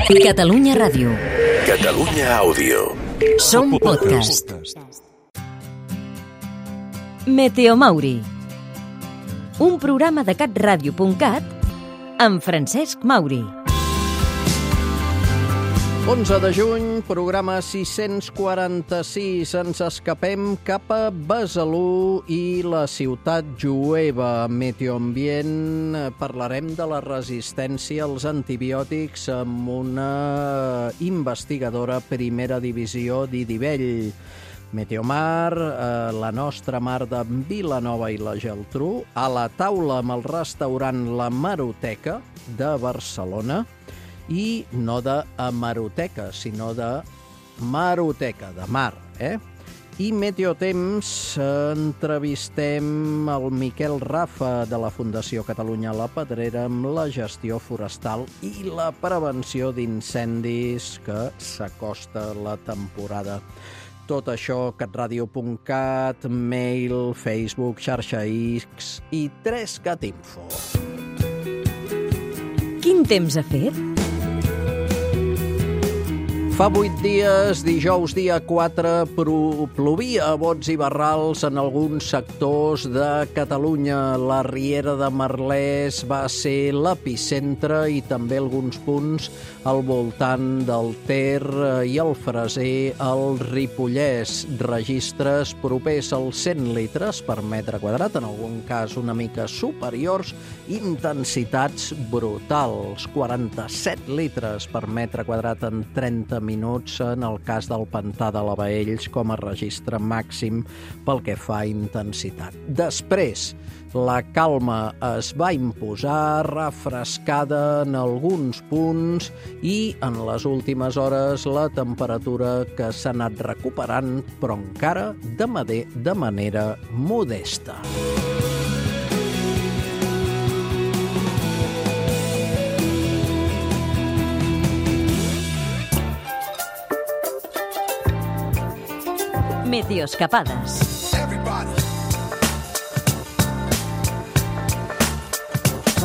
Catalunya Ràdio. Catalunya Àudio. Som podcast. Meteo Mauri. Un programa de catradio.cat amb Francesc Mauri. 11 de juny, programa 646. Ens escapem cap a Besalú i la ciutat jueva. Meteoambient, parlarem de la resistència als antibiòtics amb una investigadora primera divisió d'Idivell. Meteomar, la nostra mar de Vilanova i la Geltrú, a la taula amb el restaurant La Maroteca de Barcelona, i no de hemeroteca, sinó de maroteca, de mar, I Meteotemps, entrevistem el Miquel Rafa de la Fundació Catalunya La Pedrera amb la gestió forestal i la prevenció d'incendis que s'acosta la temporada. Tot això, catradio.cat, mail, Facebook, xarxa X i 3cat Info. Quin temps ha fet? Fa 8 dies, dijous dia 4, plovia a bots i barrals en alguns sectors de Catalunya. La Riera de Merlès va ser l'epicentre i també alguns punts al voltant del Ter i el Freser, al Ripollès. Registres propers als 100 litres per metre quadrat, en algun cas una mica superiors, intensitats brutals. 47 litres per metre quadrat en 30 minuts en el cas del pantà de la Baells com a registre màxim pel que fa a intensitat. Després, la calma es va imposar, refrescada en alguns punts i en les últimes hores la temperatura que s'ha anat recuperant, però encara de manera modesta. Meteoscapades.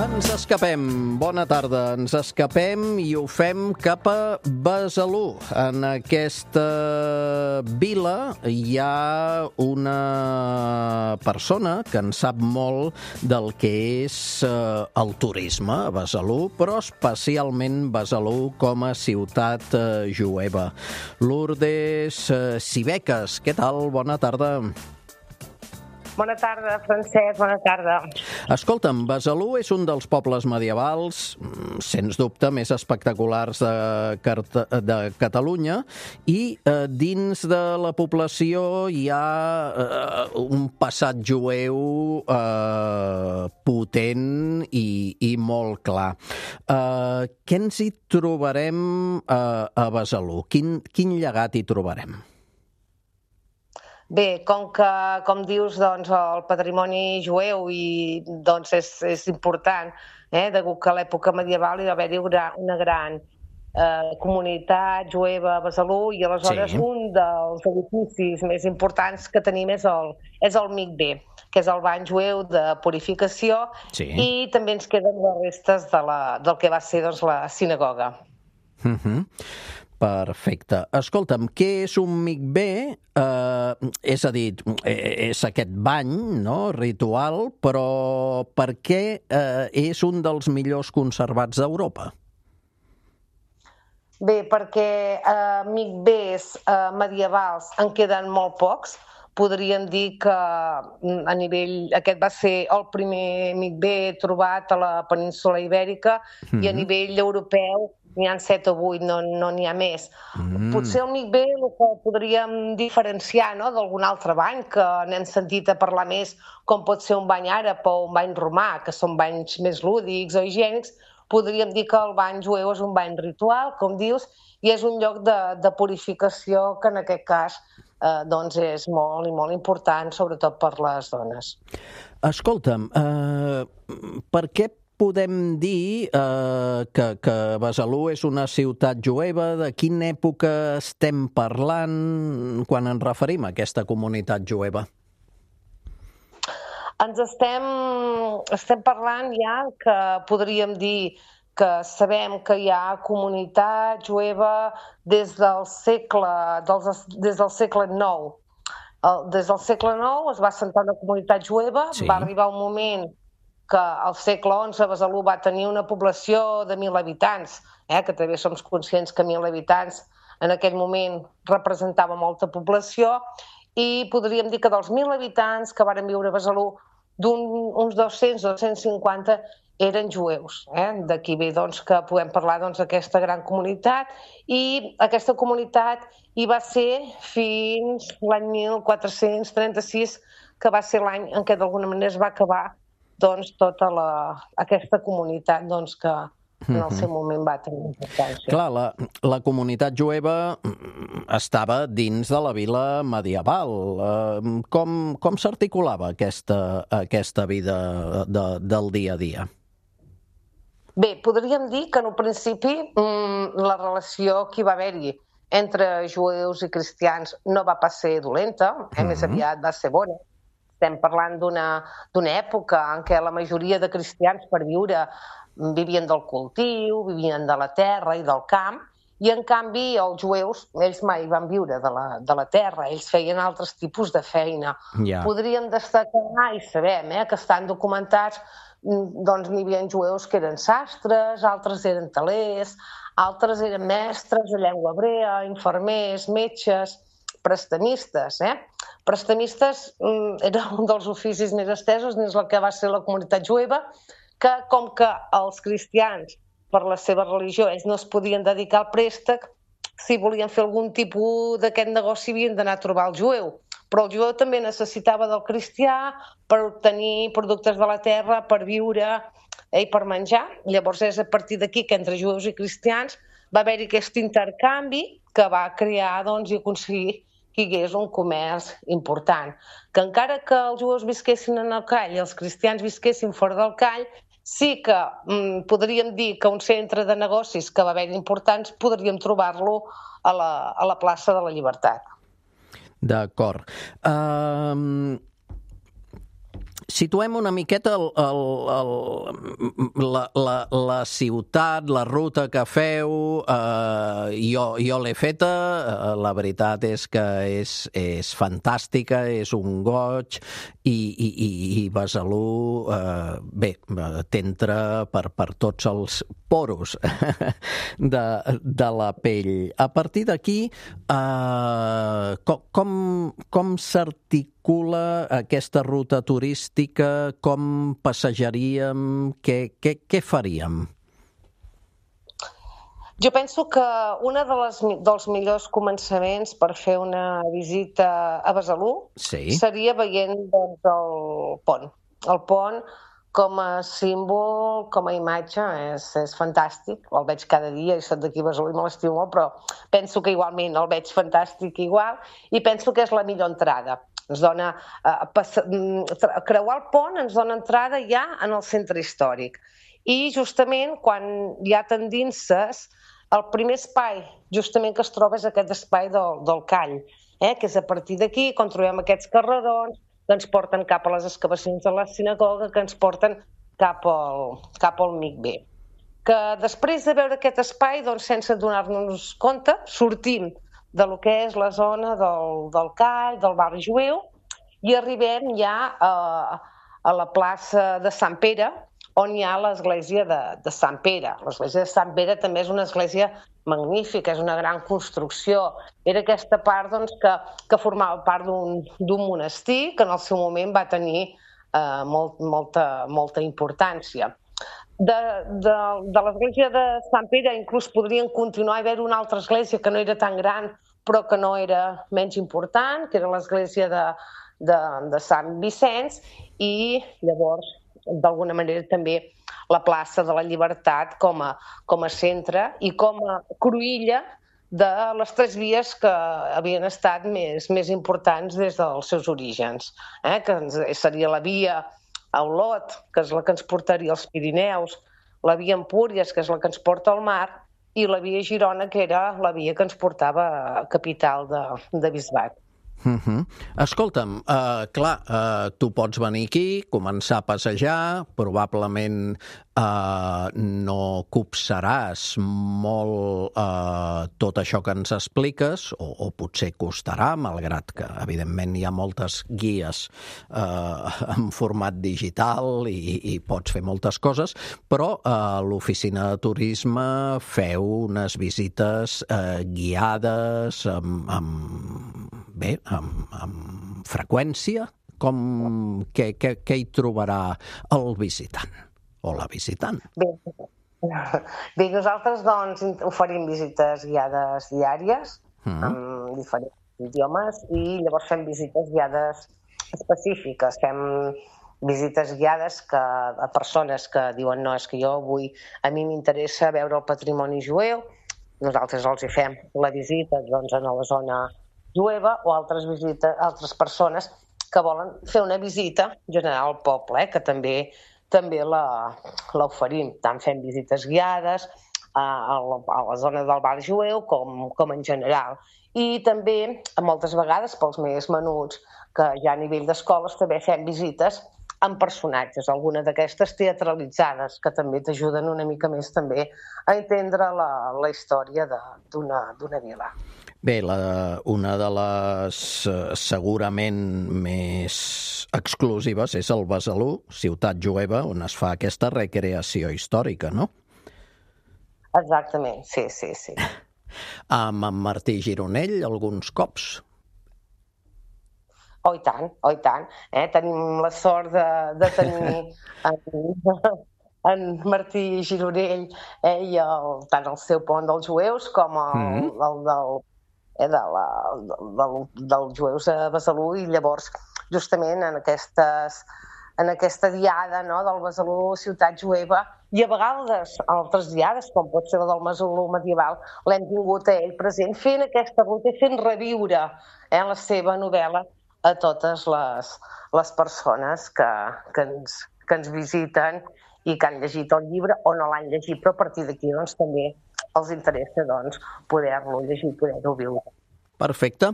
Ens escapem, bona tarda, ens escapem i ho fem cap a Besalú. En aquesta vila hi ha una persona que en sap molt del que és el turisme a Besalú, però especialment Besalú com a ciutat jueva. Lourdes Sibecas, què tal? Bona tarda. Bona tarda, Francesc, bona tarda. Escolta'm, Besalú és un dels pobles medievals, sens dubte, més espectaculars de Catalunya, i dins de la població hi ha un passat jueu potent i molt clar. Què ens hi trobarem a Besalú? Quin llegat hi trobarem? Bé, com dius, doncs, el patrimoni jueu doncs, és important, degut que a l'època medieval hi va haver-hi una gran comunitat jueva a Besalú i aleshores un dels edificis més importants que tenim és el Mikvé, que és el bany jueu de purificació, i també ens queden les restes del que va ser doncs, la sinagoga. Perfecte. Escolta'm, què és un mikvé? És a dir, és aquest bany, no?, ritual, però per què és un dels millors conservats d'Europa? Bé, perquè mikvés medievals en queden molt pocs. Podríem dir que a nivell... Aquest va ser el primer mikvé trobat a la península Ibèrica i a nivell europeu n'hi ha 7 o 8, no n'hi ha més. Potser el mikvé el que podríem diferenciar d'algun altre bany, que n'hem sentit a parlar més, com pot ser un bany àrab o un bany romà, que són banys més lúdics o higiènics, podríem dir que el bany jueu és un bany ritual, com dius, i és un lloc de purificació que en aquest cas doncs és molt i molt important, sobretot per les dones. Escolta'm, per què podem dir que Besalú és una ciutat jueva? De quina època estem parlant quan ens referim a aquesta comunitat jueva? Ens estem parlant ja que podríem dir que sabem que hi ha comunitat jueva des del segle IX. Des del segle IX es va assentar una comunitat jueva, va arribar un moment que al segle XI Besalú va tenir una població de 1.000 habitants, que també som conscients que 1.000 habitants en aquell moment representava molta població, i podríem dir que dels 1.000 habitants que varen viure a Besalú, uns 200-250 eren jueus. D'aquí ve que podem parlar d'aquesta gran comunitat, i aquesta comunitat hi va ser fins l'any 1436, que va ser l'any en què d'alguna manera es va acabar tota aquesta comunitat que en el seu moment va tenir importància. Clar, la comunitat jueva estava dins de la vila medieval. Com s'articulava aquesta vida del dia a dia? Bé, podríem dir que en un principi la relació que hi va haver-hi entre jueus i cristians no va pas ser dolenta, més aviat va ser bona. Estem parlant d'una època en què la majoria de cristians per viure vivien del cultiu, vivien de la terra i del camp, i en canvi els jueus, ells mai van viure de la terra, ells feien altres tipus de feina. Podríem destacar, i sabem que estan documentats, n'hi havia jueus que eren sastres, altres eren telers, altres eren mestres de llengua hebrea, infermers, metges, prestamistes. Prestamistes era un dels oficis més estesos dins el que va ser la comunitat jueva, que com que els cristians, per la seva religió, ells no es podien dedicar al préstec, si volien fer algun tipus d'aquest negoci havien d'anar a trobar el jueu. Però el jueu també necessitava del cristià per obtenir productes de la terra, per viure i per menjar. Llavors és a partir d'aquí que entre jueus i cristians va haver-hi aquest intercanvi que va crear i aconseguir que hi hagués un comerç important. Que encara que els jueus visquessin en el Call i els cristians visquessin fora del Call, sí que podríem dir que un centre de negocis que va haver importants podríem trobar-lo a la plaça de la Llibertat. D'acord. Situem una miqueta la ciutat, la ruta que feu. Jo l'he feta, la veritat és que és fantàstica, és un goig, i Besalú, bé, t'entra per tots els poros de la pell. A partir d'aquí, com s'articula aquesta ruta turística? Com passejaríem? Què faríem? Jo penso que un dels millors començaments per fer una visita a Besalú seria veient el pont. El pont com a símbol, com a imatge, és fantàstic. El veig cada dia, i soc d'aquí a Besalú i me l'estimo molt, però penso que igualment el veig fantàstic igual, i penso que és la millor entrada. Ens dona creuar el pont ens dona entrada ja en el centre històric. I justament quan ja t'endinses, el primer espai justament que es troba és aquest espai del Call, que és a partir d'aquí, quan trobem aquests carrerons, que ens porten cap a les excavacions de la sinagoga, que ens porten cap al Mikvé. Que després de veure aquest espai, sense donar-nos compte, sortim de lo que és la zona del Call, del barri jueu, i arribem ja a la plaça de Sant Pere, on hi ha l'església de Sant Pere. L'església de Sant Pere també és una església magnífica, és una gran construcció. Era aquesta part que formava part d'un monestir que en el seu moment va tenir molta importància. De l'església de Sant Pere inclús podrien continuar a haver una altra església que no era tan gran però que no era menys important, que era l'església de Sant Vicenç, i llavors d'alguna manera també la plaça de la Llibertat com a centre i com a cruïlla de les tres vies que havien estat més importants des dels seus orígens, que seria la via a Olot, que és la que ens portaria als Pirineus, la via Empúries, que és la que ens porta al mar, i la via Girona, que era la via que ens portava a capital de bisbat. Escolta'm, clar, tu pots venir aquí, començar a passejar, probablement no copsaràs molt tot això que ens expliques, o potser costarà, malgrat que, evidentment, hi ha moltes guies en format digital i pots fer moltes coses, però a l'oficina de turisme feu unes visites guiades amb freqüència. Què hi trobarà el visitant o la visitant? Bé, nosaltres doncs oferim visites guiades diàries amb diferents idiomes i llavors fem visites guiades específiques. Fem visites guiades a persones que diuen no, és que a mi m'interessa veure el patrimoni jueu. Nosaltres els hi fem la visita doncs, a la zona jueva, o altres persones que volen fer una visita general al poble, que també l'oferim. Tant fem visites guiades a la zona del bar jueu com en general. I també, moltes vegades, pels més menuts, que ja a nivell d'escoles també fem visites amb personatges, alguna d'aquestes teatralitzades, que també t'ajuden una mica més també a entendre la història d'una vila. Bé, una de les segurament més exclusives és el Besalú, ciutat jueva, on es fa aquesta recreació històrica, no? Exactament, sí. Amb en Martí Gironell, alguns cops? Oh, i tant. Tenim la sort de tenir en Martí Gironell i tant el seu pont dels jueus com el dels jueus a Besalú, i llavors justament en aquesta diada del Besalú ciutat jueva, i a vegades altres diades, com pot ser la del Besalú medieval, l'hem tingut a ell present fent aquesta ruta i fent reviure la seva novel·la a totes les persones que ens visiten i que han llegit el llibre o no l'han llegit, però a partir d'aquí doncs, també els interessa poder-lo llegir, poder-ho viure. Perfecte.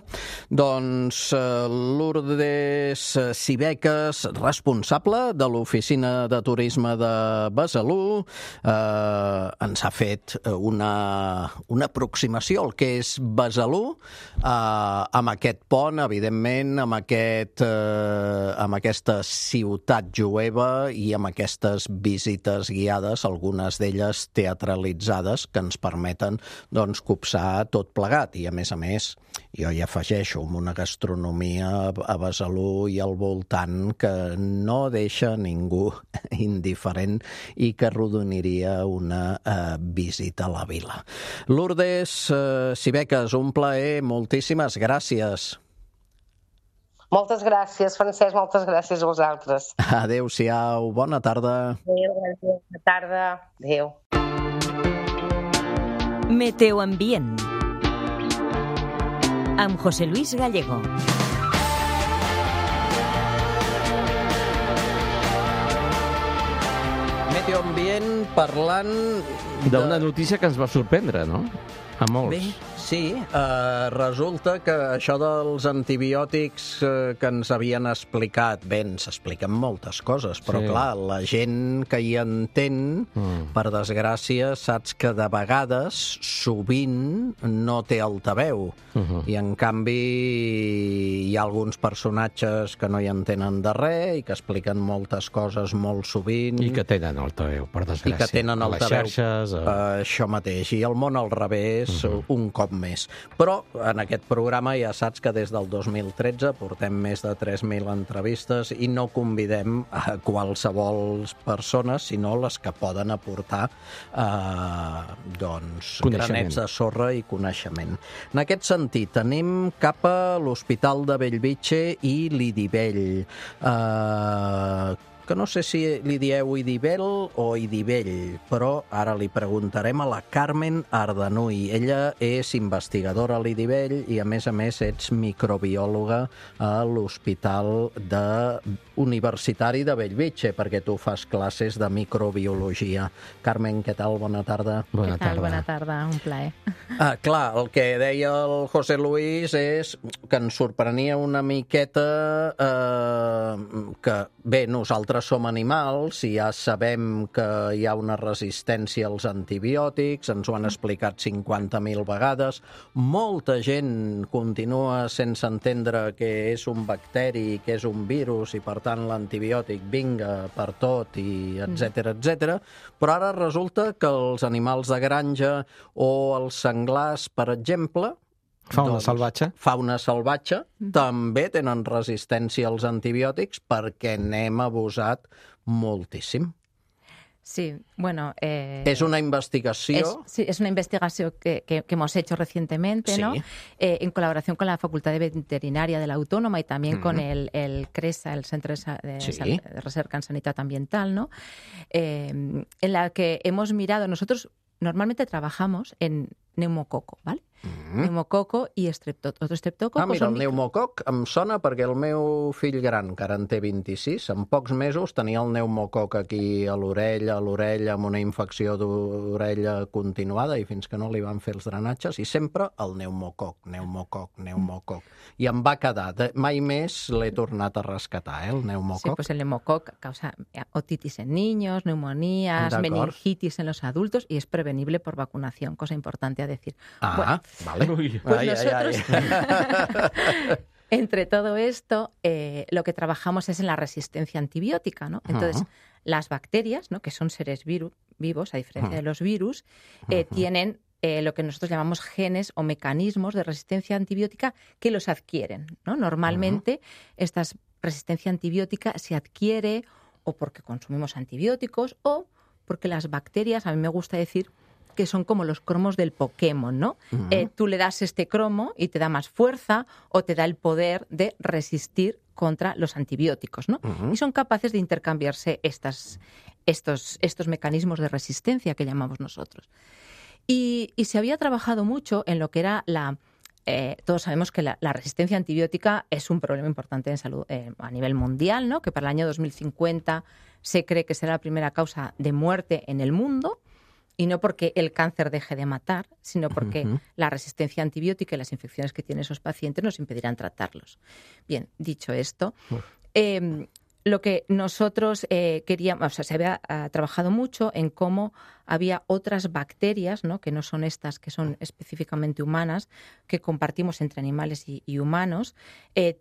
Doncs Lourdes Cibeques, responsable de l'Oficina de Turisme de Besalú, ens ha fet una aproximació al que és Besalú, amb aquest pont, evidentment, amb aquesta ciutat jueva i amb aquestes visites guiades, algunes d'elles teatralitzades, que ens permeten copsar tot plegat. I, a més, jo hi afegeixo amb una gastronomia a Besalú i al voltant que no deixa ningú indiferent i que arrodoniria una visita a la vila. Lourdes Cibeques, un plaer, moltíssimes gràcies. Moltes gràcies, Francesc, moltes gràcies a vosaltres. Adéu-siau, bona tarda. Adéu, bona tarda. Adéu. Meteoambient amb José Luis Gallego. Meteoambient parlant d'una notícia que ens va sorprendre, no? A molts. Bé, sí, resulta que això dels antibiòtics que ens havien explicat, bé, ens expliquen moltes coses, però clar, la gent que hi entén, per desgràcia, saps que de vegades, sovint, no té altaveu. I en canvi hi ha alguns personatges que no hi entenen de res i que expliquen moltes coses molt sovint. I que tenen altaveu, per desgràcia. I que tenen altaveu. A les xarxes. Això mateix. I el món al revés, un cop més. Però en aquest programa ja saps que des del 2013 portem més de 3.000 entrevistes i no convidem a qualsevol persones, sinó les que poden aportar granets de sorra i coneixement. En aquest sentit, anem cap a l'Hospital de Bellvitge i l'Idivell. que no sé si li dieu Idibel o Idibell, però ara li preguntarem a la Carmen Ardanuy. Ella és investigadora a l'Idibell i, a més, ets microbiòloga a l'Hospital Universitari de Bellvitge, perquè tu fas classes de microbiologia. Carmen, què tal? Bona tarda. Bona Què tal? tarda. Bona tarda, un plaer. Clar, el que deia el José Luis és que ens sorprenia una miqueta que, bé, nosaltres som animals i ja sabem que hi ha una resistència als antibiòtics, ens ho han explicat 50.000 vegades. Molta gent continua sense entendre que és un bacteri, que és un virus i, per tant, l'antibiòtic vinga per tot, i etcètera, però ara resulta que els animals de granja o els senglars, per exemple, Fauna salvatge. Fauna salvatge, també tenen resistència als antibiòtics perquè n'hem abusat moltíssim. Sí, bueno... Es una investigación... Es una investigación que hemos hecho recientemente, Sí. ¿no? En colaboración con la Facultad de Veterinaria de la Autónoma y también con el CRESA, el Centro de Sí. Recerca en Sanidad Ambiental, ¿no? En la que hemos mirado... Nosotros normalmente trabajamos en neumococo, ¿vale? Neumococo i otro estreptococo. Mira, el pneumococ em sona perquè el meu fill gran, que ara en té 26, en pocs mesos tenia el pneumococ aquí a l'orella, amb una infecció d'orella continuada, i fins que no li van fer els drenatges, i sempre el pneumococ. I em va quedar. Mai més l'he tornat a rescatar, el Sí, pneumococ. pues el neumococ causa otitis en niños, neumonías, De acuerdo. meningitis en los adultos y es prevenible por vacunación, cosa importante a decir. Ah, Bueno, vale. Uy. pues Ai, nosotros, ai. entre todo esto, lo que trabajamos es en la resistencia antibiótica, ¿no? Entonces, las bacterias, ¿no? Que son seres vivos, a diferencia de los virus, tienen lo que nosotros llamamos genes o mecanismos de resistencia antibiótica que los adquieren, ¿no? Normalmente, esta resistencia antibiótica se adquiere o porque consumimos antibióticos o porque las bacterias, a mí me gusta decir, que son como los cromos del Pokémon, ¿no? Tú le das este cromo y te da más fuerza o te da el poder de resistir contra los antibióticos, ¿no? Y son capaces de intercambiarse estos mecanismos de resistencia que llamamos nosotros. Y se había trabajado mucho en lo que era todos sabemos que la resistencia antibiótica es un problema importante en salud a nivel mundial, ¿no? Que para el año 2050 se cree que será la primera causa de muerte en el mundo. Y no porque el cáncer deje de matar, sino porque la resistencia antibiótica y las infecciones que tienen esos pacientes nos impedirán tratarlos. Bien, dicho esto, lo que nosotros queríamos, o sea, se había trabajado mucho en cómo había otras bacterias, ¿no? Que no son estas, que son específicamente humanas, que compartimos entre animales y humanos,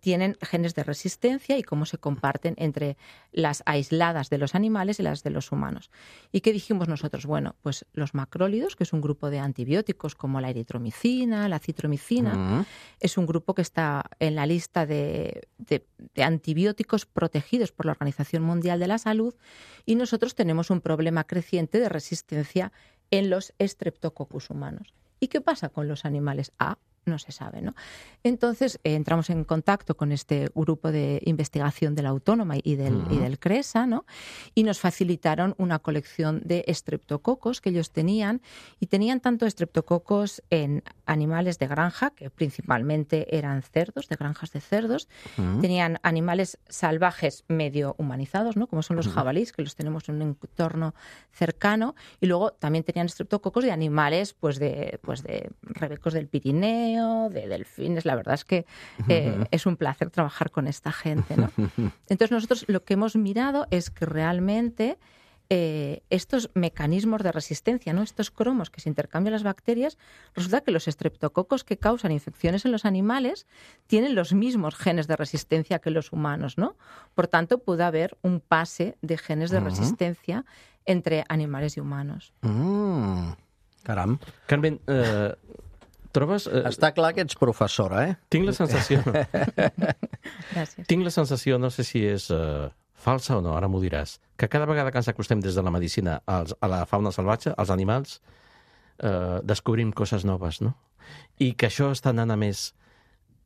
tienen genes de resistencia y cómo se comparten entre las aisladas de los animales y las de los humanos. ¿Y qué dijimos nosotros? Bueno, pues los macrólidos, que es un grupo de antibióticos como la eritromicina, la citromicina, es un grupo que está en la lista de antibióticos protegidos por la Organización Mundial de la Salud, y nosotros tenemos un problema creciente de resistencia en los Streptococcus humanos. ¿Y qué pasa con los animales? No se sabe, ¿no? Entonces entramos en contacto con este grupo de investigación de la Autónoma y del CRESA, ¿no? Y nos facilitaron una colección de estreptococos que ellos tenían, y tenían tanto estreptococos en animales de granja, que principalmente eran cerdos, de granjas de cerdos, tenían animales salvajes medio humanizados, ¿no? Como son los jabalíes, que los tenemos en un entorno cercano, y luego también tenían estreptococos de animales pues de rebecos del Pirineo, de delfines. La verdad es que es un placer trabajar con esta gente, ¿no? Entonces nosotros lo que hemos mirado es que realmente estos mecanismos de resistencia, ¿no? Estos cromos que se intercambian las bacterias, resulta que los estreptococos que causan infecciones en los animales tienen los mismos genes de resistencia que los humanos, ¿no? Por tanto, puede haber un pase de genes de resistencia entre animales y humanos. Caram. Carmen, trobes... Està clar que ets professora, eh? Tinc la sensació... Gràcies. Tinc la sensació, no sé si és falsa o no, ara m'ho diràs, que cada vegada que ens acostem des de la medicina a la fauna salvatge, als animals, descobrim coses noves, no? I que això està anant a més...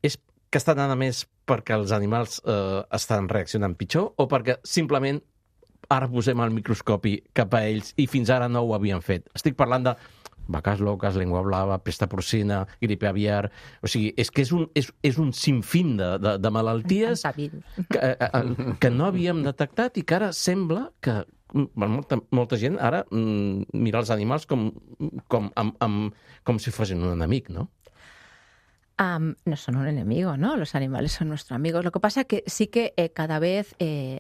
És que està anant a més perquè els animals estan reaccionant pitjor o perquè simplement ara posem el microscopi cap a ells i fins ara no ho havien fet. Estic parlant de vaques loques, llengua blava, pesta porcina, gripe aviar... O sigui, és que és un sinfín de malalties que no havíem detectat i que ara sembla que molta gent ara mira els animals com si fossin un enemic, no? No son un enemigo, ¿no? Los animales son nuestros amigos. Lo que pasa es que sí que cada vez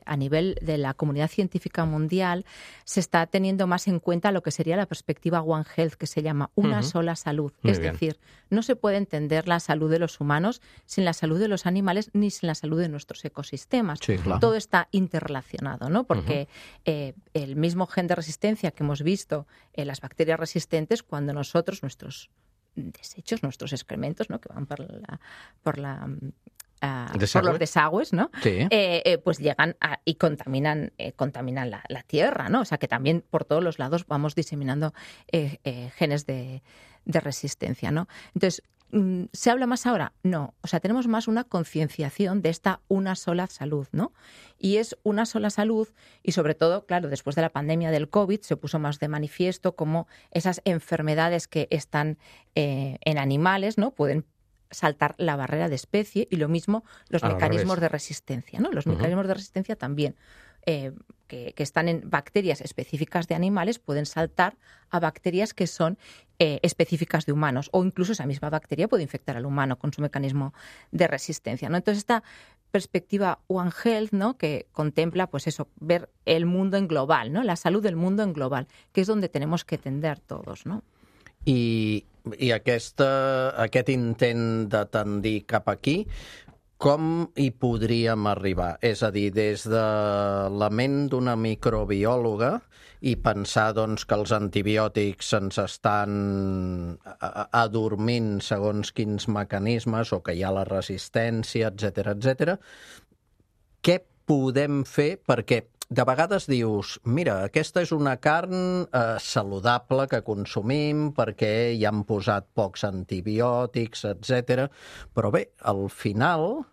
a nivel de la comunidad científica mundial se está teniendo más en cuenta lo que sería la perspectiva One Health, que se llama una sola salud. Es decir, no se puede entender la salud de los humanos sin la salud de los animales ni sin la salud de nuestros ecosistemas. Sí, claro. Todo está interrelacionado, ¿no? Porque el mismo gen de resistencia que hemos visto en las bacterias resistentes, cuando nosotros, nuestros desechos, nuestros excrementos, ¿no? Que van por los desagües, ¿no? Sí. Pues llegan y contaminan la tierra, ¿no? O sea que también por todos los lados vamos diseminando genes de resistencia, ¿no? Entonces, ¿se habla más ahora? No. O sea, tenemos más una concienciación de esta una sola salud, ¿no? Y es una sola salud y sobre todo, claro, después de la pandemia del COVID se puso más de manifiesto cómo esas enfermedades que están en animales, ¿no? Pueden saltar la barrera de especie y lo mismo los mecanismos de resistencia, ¿no? Los mecanismos de resistencia también que están en bacterias específicas de animales pueden saltar a bacterias que son específicas de humanos o incluso esa misma bacteria puede infectar al humano con su mecanismo de resistencia, ¿no? Entonces esta perspectiva One Health, ¿no? Que contempla pues eso, ver el mundo en global, ¿no? La salud del mundo en global, que es donde tenemos que tender todos, ¿no? I aquest intent de tendir cap aquí, com hi podríem arribar? És a dir, des de la ment d'una microbiòloga i pensar doncs, que els antibiòtics ens estan adormint segons quins mecanismes o que hi ha la resistència, etc. Què podem fer? Perquè de vegades dius, mira, aquesta és una carn saludable que consumim perquè hi han posat pocs antibiòtics, etc. Però bé, al final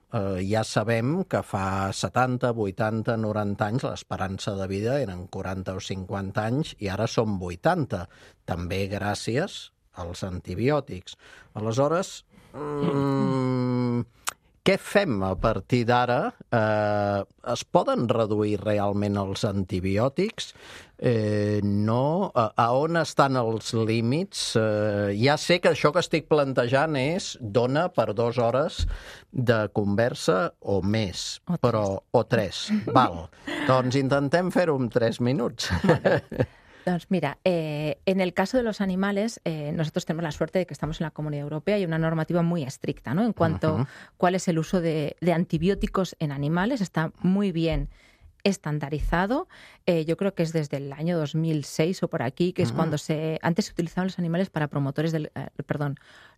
ja sabem que fa 70, 80, 90 anys l'esperança de vida eren 40 o 50 anys i ara són 80, també gràcies als antibiòtics. Aleshores, què fem a partir d'ara? Es poden reduir realment els antibiòtics? No? A on estan els límits? Ja sé que això que estic plantejant dona per 2 hores de conversa o més, o 3. Val. Doncs intentem fer-ho en 3 minuts. Entonces, mira, en el caso de los animales, nosotros tenemos la suerte de que estamos en la Comunidad Europea y hay una normativa muy estricta, ¿no? En cuanto a cuál es el uso de antibióticos en animales, está muy bien estandarizado. Yo creo que es desde el año 2006 o por aquí, que es cuando antes se utilizaban los animales para promotores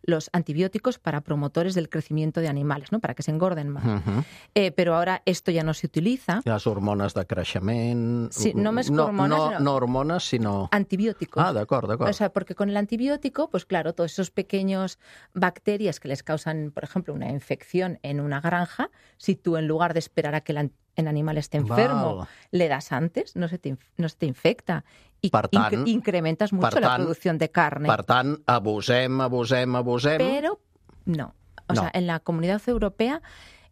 los antibióticos para promotores del crecimiento de animales, ¿no? Para que se engorden más. Pero ahora esto ya no se utiliza. Las hormonas de creixement... Sí, no més hormones, no hormones, sino... Antibióticos. Ah, d'acord. O sea, porque con el antibiótico, pues claro, todos esos pequeños bacterias que les causan, por ejemplo, una infección en una granja, si tú en lugar de esperar a que en animal esté enfermo, le das antes, no se te infecta i incrementes mucho la producción de carne. Per tant, abusem. Pero no. O sea, en la Comunidad Europea,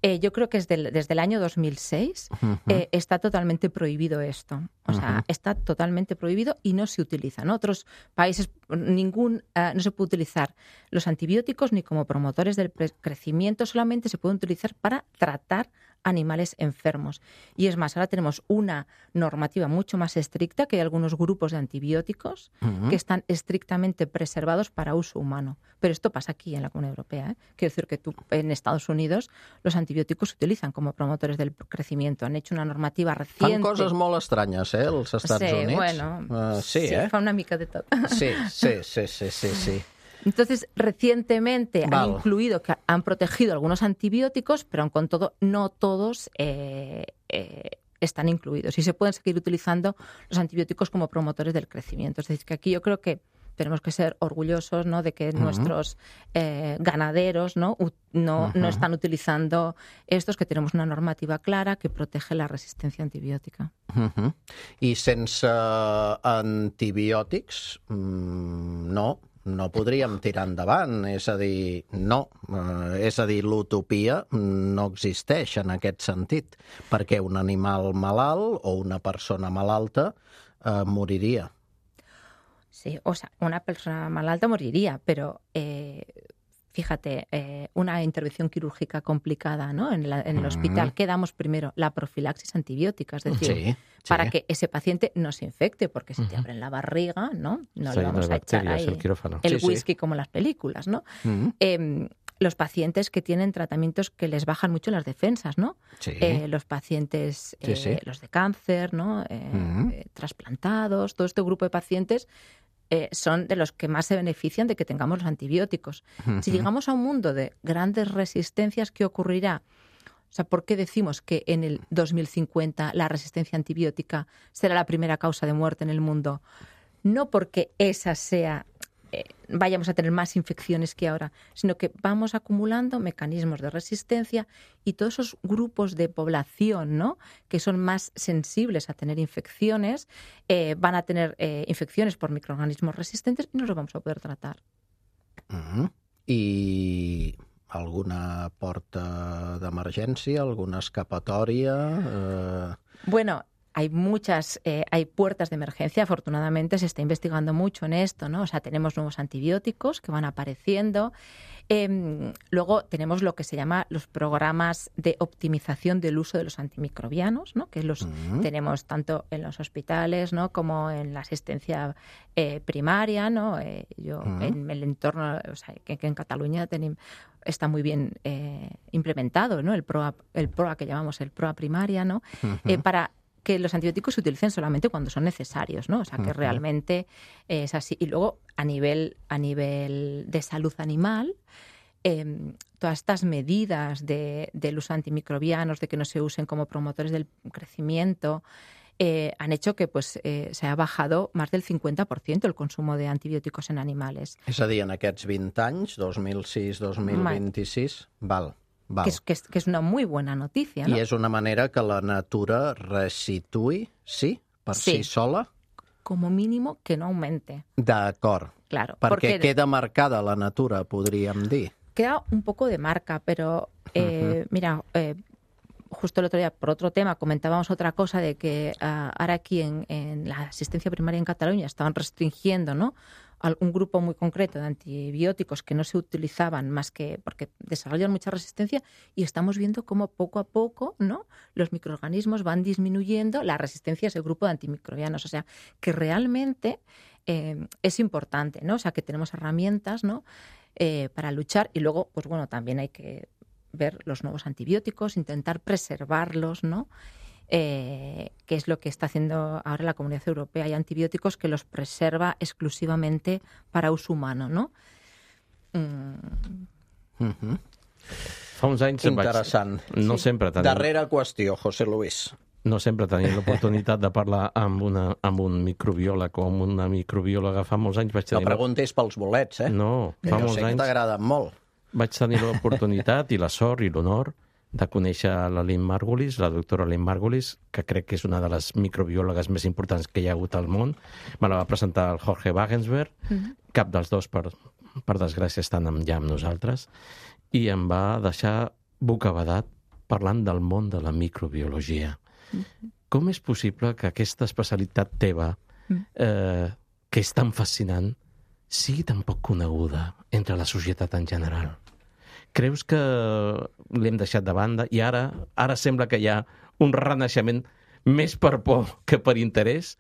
yo creo que es desde el año 2006 está totalmente prohibido esto. O sea, está totalmente prohibido y no se utiliza. En otros países no se puede utilizar los antibióticos ni como promotores del crecimiento, solamente se pueden utilizar para tratar animales enfermos. Y es más, ahora tenemos una normativa mucho más estricta, que hay algunos grupos de antibióticos que están estrictamente preservados para uso humano. Pero esto pasa aquí en la Comunidad Europea, ¿eh? Quiero decir que en Estados Unidos los antibióticos se utilizan como promotores del crecimiento. Han hecho una normativa reciente. Fan coses molt estranyes, els Estats Units. Bueno, sí, fa una mica de tot. Sí. Entonces, recientemente han incluido, que han protegido algunos antibióticos, pero aun con todo, no todos están incluidos. Y se pueden seguir utilizando los antibióticos como promotores del crecimiento. Es decir, que aquí yo creo que tenemos que ser orgullosos, ¿no?, de que nuestros ganaderos no están utilizando estos, que tenemos una normativa clara que protege la resistencia antibiótica. I sense antibiòtics, no podríem tirar endavant, és a dir, l'utopia no existeix en aquest sentit, perquè un animal malalt o una persona malalta moriria. Sí, o sea, una persona malalta moriría, pero fíjate, una intervención quirúrgica complicada, ¿no?, en el hospital, ¿qué damos primero? La profilaxis antibiótica, es decir, para que ese paciente no se infecte, porque si te abren la barriga, ¿no? No le vamos a echar ahí el whisky como en las películas, ¿no? Los pacientes que tienen tratamientos que les bajan mucho las defensas, ¿no? Los pacientes, los de cáncer, ¿no? Trasplantados, todo este grupo de pacientes son de los que más se benefician de que tengamos los antibióticos. Si llegamos a un mundo de grandes resistencias, ¿qué ocurrirá? O sea, ¿por qué decimos que en el 2050 la resistencia antibiótica será la primera causa de muerte en el mundo? No porque esa sea, vayamos a tener más infecciones que ahora, sino que vamos acumulando mecanismos de resistencia y todos esos grupos de población, ¿no?, que son más sensibles a tener infecciones, van a tener infecciones por microorganismos resistentes y no los vamos a poder tratar. I alguna porta d'emergència, alguna escapatòria? Bueno, hay puertas de emergencia. Afortunadamente se está investigando mucho en esto, ¿no? O sea, tenemos nuevos antibióticos que van apareciendo. Luego tenemos lo que se llama los programas de optimización del uso de los antimicrobianos, ¿no?, que los tenemos tanto en los hospitales, ¿no?, como en la asistencia primaria, ¿no? Yo en el entorno, o sea, que en Cataluña está muy bien implementado, ¿no?, el PROA que llamamos el PROA primaria, ¿no? Para que los antibióticos se utilicen solamente cuando son necesarios, ¿no? O sea, que realmente es así. Y luego, a nivel de salud animal, todas estas medidas del uso de antimicrobianos, de que no se usen como promotores del crecimiento, han hecho que se ha bajado más del 50% el consumo de antibióticos en animales. És a dir, en aquests 20 anys, 2006-2026, val. Que es una muy buena noticia, ¿no? I és una manera que la natura resituï, per si sola? Como mínimo que no aumente. D'acord. Claro. Perquè queda marcada la natura, podríem dir. Queda un poco de marca, pero mira, justo el otro día, por otro tema, comentábamos otra cosa de que ahora aquí en la asistencia primaria en Cataluña estaban restringiendo, ¿no?, un grupo muy concreto de antibióticos que no se utilizaban más que porque desarrollan mucha resistencia, y estamos viendo cómo poco a poco, ¿no?, los microorganismos van disminuyendo la resistencia a ese grupo de antimicrobianos. O sea, que realmente es importante, ¿no? O sea, que tenemos herramientas, ¿no?, para luchar. Y luego, pues bueno, también hay que ver los nuevos antibióticos, intentar preservarlos, ¿no? Que es lo que está haciendo ahora la Comunidad Europea. Hay antibióticos que los preserva exclusivamente para uso humano, ¿no? Fa uns anys interessant. No sempre tenim... Darrera qüestió, José Luis. No sempre tenim l'oportunitat de parlar amb un microbiòleg o amb una microbiòloga. Fa molts anys vaig tenir... No preguntis pels bolets, eh? No, fa molts anys... Jo sé que t'agraden molt. Vaig tenir l'oportunitat i la sort i l'honor de conèixer la Lynn Margulis, la doctora Lynn Margulis, que crec que és una de les microbiòlogues més importants que hi ha hagut al món. Me la va presentar el Jorge Wagensberg, cap dels dos, per desgràcia, estan ja amb nosaltres, i em va deixar bocabadat parlant del món de la microbiologia. Com és possible que aquesta especialitat teva, que és tan fascinant, sigui tan poc coneguda entre la societat en general? Creus que l'hem deixat de banda i ara sembla que hi ha un renaixement més per por que per interès?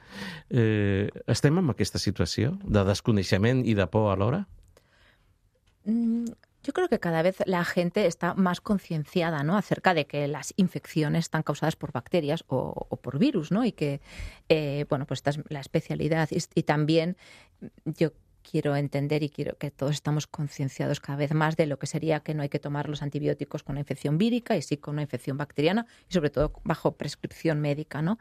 Estem en aquesta situació de desconeixement i de por alhora? Yo creo que cada vez la gente está más concienciada, ¿no?, acerca de que las infecciones están causadas por bacterias o por virus, ¿no? Y que, bueno, pues esta es la especialidad. Y también yo quiero entender y quiero que todos estamos concienciados cada vez más de lo que sería que no hay que tomar los antibióticos con una infección vírica y sí con una infección bacteriana, y sobre todo bajo prescripción médica, ¿no?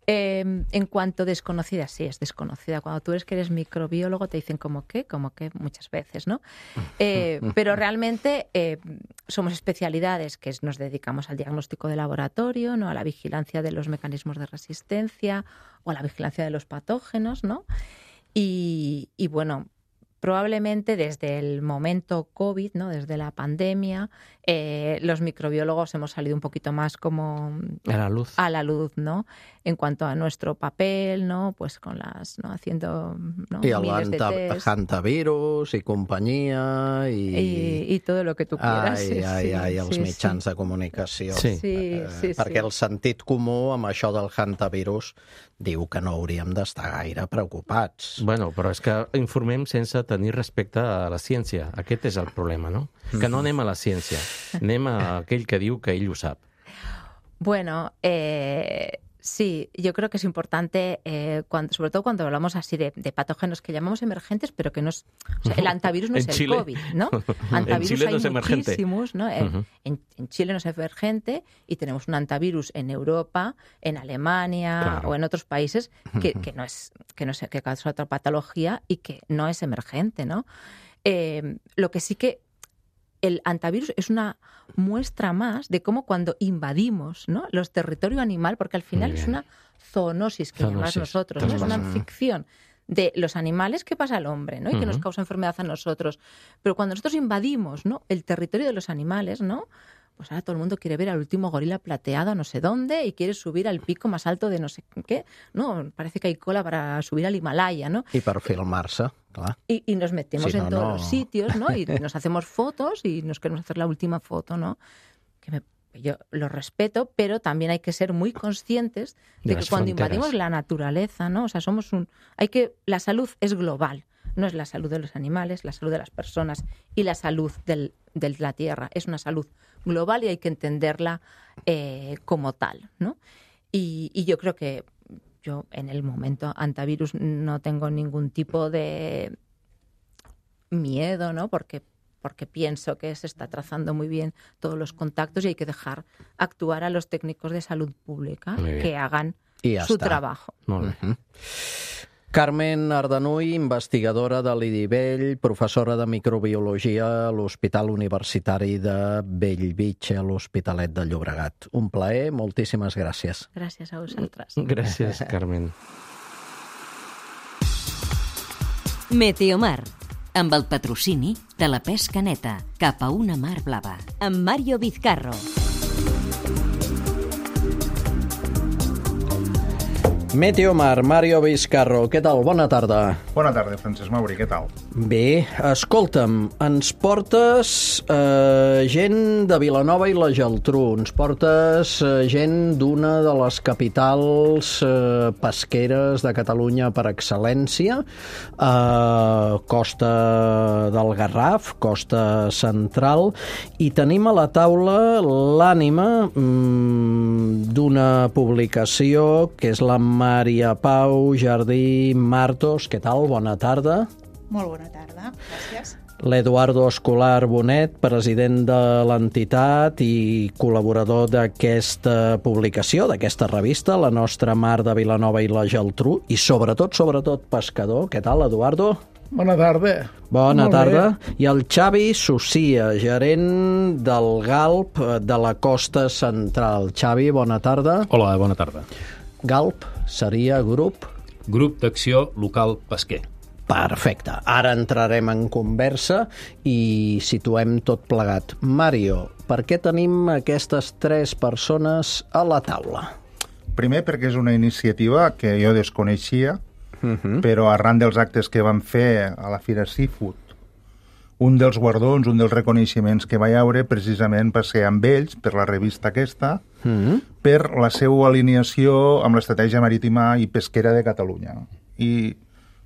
En cuanto desconocida, sí, es desconocida. Cuando tú eres microbiólogo te dicen como que muchas veces, ¿no? Pero realmente somos especialidades que nos dedicamos al diagnóstico de laboratorio, ¿no? A la vigilancia de los mecanismos de resistencia o a la vigilancia de los patógenos, ¿no? Y bueno, probablemente desde el momento COVID, ¿no? Desde la pandemia, los microbiólogos hemos salido un poquito más como a la luz, ¿no? En cuanto a nuestro papel, ¿no? Pues con ¿no? Haciendo, ¿no? I miles de test. hantavirus i companyia i tot el que tu quieras. Els mitjans de comunicació. Sí. Perquè el sentit comú amb això del hantavirus diu que no hauríem d'estar gaire preocupats. Bueno, però és que informem sense tenir respecte a la ciència. Aquest és el problema, no? Que no anem a la ciència, anem a aquell que diu que ell ho sap. Bueno, sí, yo creo que es importante, sobre todo cuando hablamos así de patógenos que llamamos emergentes, pero que no es... O sea, el antivirus no es el Chile. COVID, ¿no? Antivirus en Chile hay no es emergente. muchísimos, ¿no? En Chile no es emergente y tenemos un antivirus en Europa, en Alemania o en otros países que causa otra patología y que no es emergente, ¿no? Lo que sí que el antivirus es una muestra más de cómo cuando invadimos, ¿no? los territorios animal, porque al final es una zoonosis que llamamos nosotros, ¿no? Es una infección de los animales que pasa al hombre, ¿no? Y que nos causa enfermedad a nosotros. Pero cuando nosotros invadimos, ¿no? el territorio de los animales, ¿no? Pues ahora todo el mundo quiere ver al último gorila plateado no sé dónde y quiere subir al pico más alto de no sé qué. No, parece que hay cola para subir al Himalaya, ¿no? I per filmar-se, clar. Y nos metemos en todos los sitios, ¿no? Y nos hacemos fotos y nos queremos hacer la última foto, ¿no? Yo lo respeto, pero también hay que ser muy conscientes de que cuando invadimos la naturaleza, ¿no? O sea, la salud es global. No es la salud de los animales, la salud de las personas y la salud de la tierra. Es una salud global y hay que entenderla como tal, ¿no? Y yo creo que yo en el momento antivirus no tengo ningún tipo de miedo, ¿no? Porque pienso que se está trazando muy bien todos los contactos y hay que dejar actuar a los técnicos de salud pública que hagan su trabajo. Molt bé. Carmen Ardanuy, investigadora de l'IDIVELL, professora de microbiologia a l'Hospital Universitari de Bellvitge, a l'Hospitalet de Llobregat. Un plaer, moltíssimes gràcies. Gràcies a vosaltres. Gràcies, Carmen. Meteomar, amb el patrocini de la pesca neta cap a una mar blava. amb Mario Vizcarro. Meteomar, Mario Vizcarro, què tal? Bona tarda. Bona tarda, Francesc Mauri, què tal? Bé, escolta'm, ens portes gent de Vilanova i la Geltrú, ens portes gent d'una de les capitals pesqueres de Catalunya per excel·lència, Costa del Garraf, Costa Central, i tenim a la taula l'ànima d'una publicació que és la Maria Pau Jardí Martos. Què tal? Bona tarda. Molt bona tarda, gràcies. L'Eduardo Escolar Bonet, president de l'entitat i col·laborador d'aquesta publicació, d'aquesta revista, La Nostra Mar de Vilanova i la Geltrú, i sobretot pescador. Què tal, Eduardo? Bona tarda. Bona tarda. I el Xavi Socia, gerent del GALP de la Costa Central. Xavi, bona tarda. Hola, bona tarda. GALP seria grup? Grup d'Acció Local Pesquer. Perfecte. Ara entrarem en conversa i situem tot plegat. Mario, per què tenim aquestes tres persones a la taula? Primer, perquè és una iniciativa que jo desconeixia, però arran dels actes que vam fer a la Fira Seafood, un dels guardons, un dels reconeixements que va haure, precisament va ser amb ells, per la revista aquesta, per la seva alineació amb l'estratègia marítima i pesquera de Catalunya. I,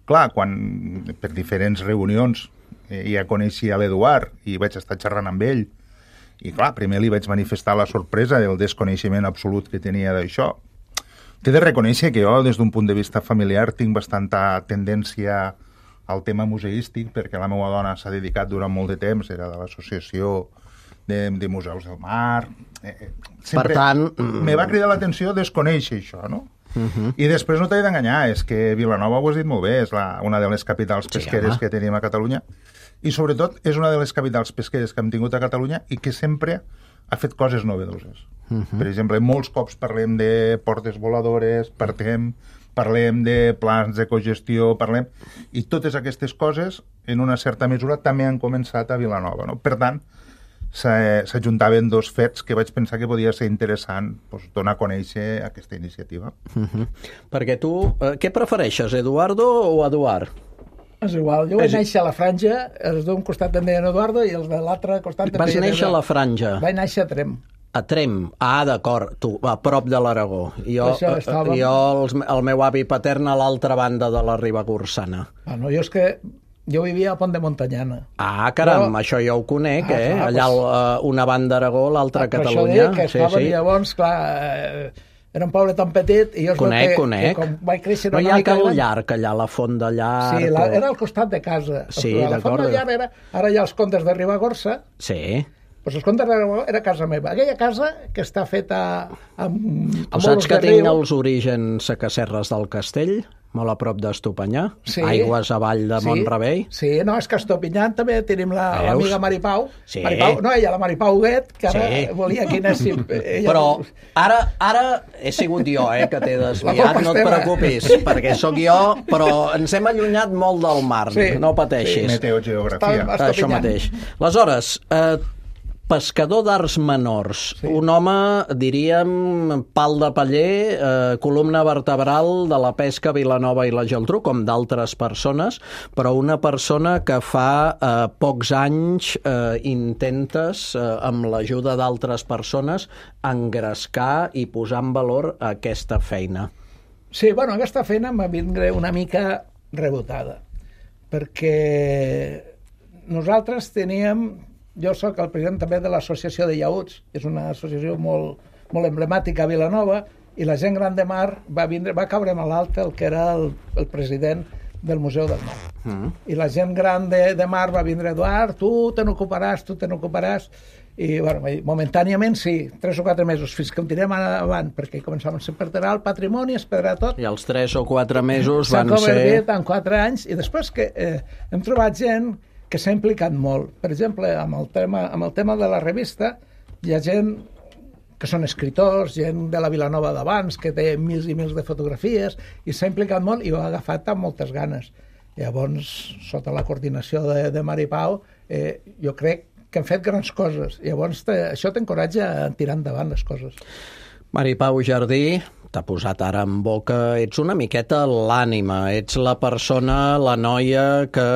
clar, quan per diferents reunions ja coneixia l'Eduard i vaig estar xerrant amb ell, i clar, primer li vaig manifestar la sorpresa del desconeixement absolut que tenia d'això. T'he de reconèixer que jo, des d'un punt de vista familiar, tinc bastanta tendència al tema museístic, perquè la meva dona s'ha dedicat durant molt de temps, era de l'associació de museus del mar. Per tant... Me va cridar l'atenció desconèixer això, no? I després no t'he d'enganyar, és que Vilanova, ho has dit molt bé, és una de les capitals pesqueres que tenim a Catalunya, i sobretot és una de les capitals pesqueres que hem tingut a Catalunya i que sempre ha fet coses novedoses. Per exemple, molts cops parlem de portes voladores, parlem de plans de cogestió, i totes aquestes coses, en una certa mesura, també han començat a Vilanova. No? Per tant, s'ajuntaven dos fets que vaig pensar que podia ser interessant donar a conèixer aquesta iniciativa. Perquè tu, què prefereixes, Eduardo o Eduard? És igual, jo vaig néixer a la Franja, els d'un costat em deien Eduardo i els de l'altre costat em deien... Vas néixer a la Franja? Vaig néixer a Trem. A Trem? Ah, d'acord, tu, a prop de l'Aragó. El meu avi patern a l'altra banda de la Ribagorçana. Bueno, jo vivia a Pont de Montanyana. Ah, caram, això jo ho conec, allà una banda Aragó, l'altra a Catalunya. Això deia que estaven llavors, clar... Era un poble tan petit i jo conec. Que com vaig créixer... No hi ha Cal Llarg, allà, la Font de Llarg... Sí, era al costat de casa. Sí, la Font de Llarg era... Ara hi ha els contes de Ribagorça. Sí. Doncs els contes de Ribagorça era casa meva. Aquella casa que està feta amb saps que tinc els orígens a Casserres del Castell? Molt a prop d'Estopanyà, aigües avall de Mont-rebei. Sí, no, és que a Estopanyà també tenim l'amiga Mari Pau. Sí. No, ella, la Mari Pau Huguet, que ara volia que anéssim... Però ara he sigut jo, que t'he desviat, no et preocupis, perquè sóc jo, però ens hem allunyat molt del mar, no pateixis. Meteogeografia. Això mateix. Aleshores, pescador d'arts menors, un home, diríem, pal de paller, columna vertebral de la pesca a Vilanova i la Geltrú, com d'altres persones, però una persona que fa pocs anys intentes, amb l'ajuda d'altres persones, engrescar i posar en valor aquesta feina. Sí, bueno, aquesta feina m'ha vindre una mica rebotada, perquè nosaltres teníem... Jo sóc el president també de l'Associació de Llaüts, que és una associació molt emblemàtica a Vilanova, i la gent gran de mar va caure malalt el que era el president del Museu del Mar. I la gent gran de mar va vindre, Eduard, tu te n'ocuparàs. I, bueno, momentàniament sí, 3 o 4 mesos, fins que en tirem avant, perquè començàvem a perdre el patrimoni, es perdrà tot. I els 3 o 4 mesos van ser... S'ha convertit en 4 anys, i després que hem trobat gent que s'ha implicat molt. Per exemple, amb el tema de la revista, hi ha gent que són escriptors, gent de la Vilanova d'abans, que té mils i mils de fotografies, i s'ha implicat molt i ho ha agafat amb moltes ganes. Llavors, sota la coordinació de Mari Pau, jo crec que hem fet grans coses. Llavors, això t'encoratja a tirar endavant les coses. Mari Pau Jardí, t'ha posat ara en boca, ets una miqueta l'ànima, ets la persona, la noia que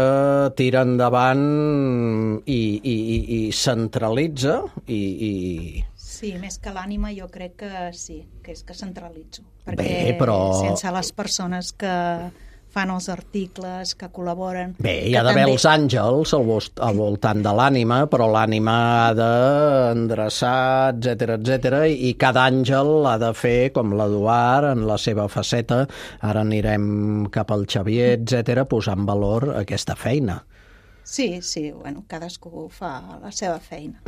tira endavant i centralitza i... Sí, més que l'ànima jo crec que sí, que és que centralitzo. Perquè sense les persones que fan els articles, que col·laboren... Bé, hi ha d'haver els àngels al voltant de l'ànima, però l'ànima ha d'endreçar, etc, i cada àngel ha de fer, com l'Eduard, en la seva faceta, ara anirem cap al Xavier, etc, posar en valor aquesta feina. Sí, bueno, cadascú fa la seva feina.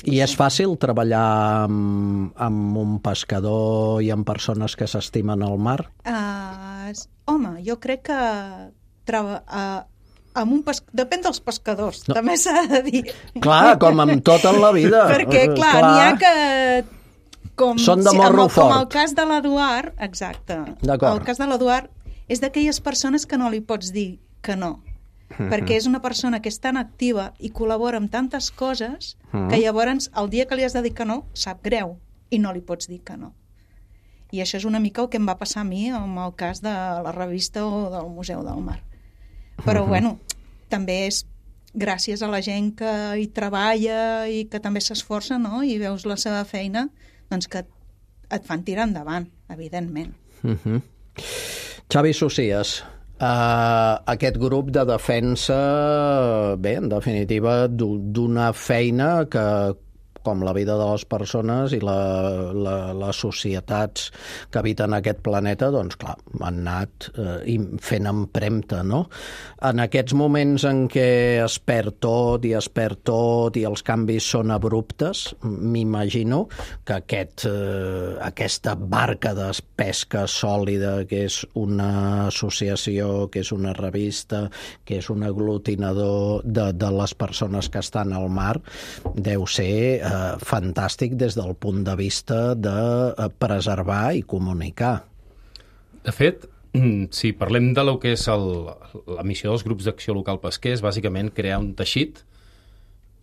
I és fàcil treballar amb un pescador i amb persones que s'estimen al mar? Home, jo crec que depèn dels pescadors, també s'ha de dir. Clar, com amb tot en la vida. Perquè, clar, n'hi ha que... Són de morro fort. Com el cas de l'Eduard, exacte. El cas de l'Eduard és d'aquelles persones que no li pots dir que no. Perquè és una persona que és tan activa i col·labora amb tantes coses que llavors el dia que li has de dir que no, sap greu i no li pots dir que no. I això és una mica el que em va passar a mi amb el cas de la revista o del Museu del Mar. Però bueno, també és gràcies a la gent que hi treballa i que també s'esforça, no? I veus la seva feina, doncs que et fan tirar endavant, evidentment. Xavi Socias, aquest grup de defensa, bé, en definitiva, d'una feina que, com la vida de les persones i les societats que habiten aquest planeta, doncs clar, han anat fent empremta, no? En aquests moments en què es perd tot i els canvis són abruptes, m'imagino que aquesta barca de pesca sòlida, que és una associació, que és una revista, que és un aglutinador de les persones que estan al mar, deu ser fantàstic des del punt de vista de preservar i comunicar. De fet, si parlem de lo que és la missió dels grups d'acció local pesquers, bàsicament crear un teixit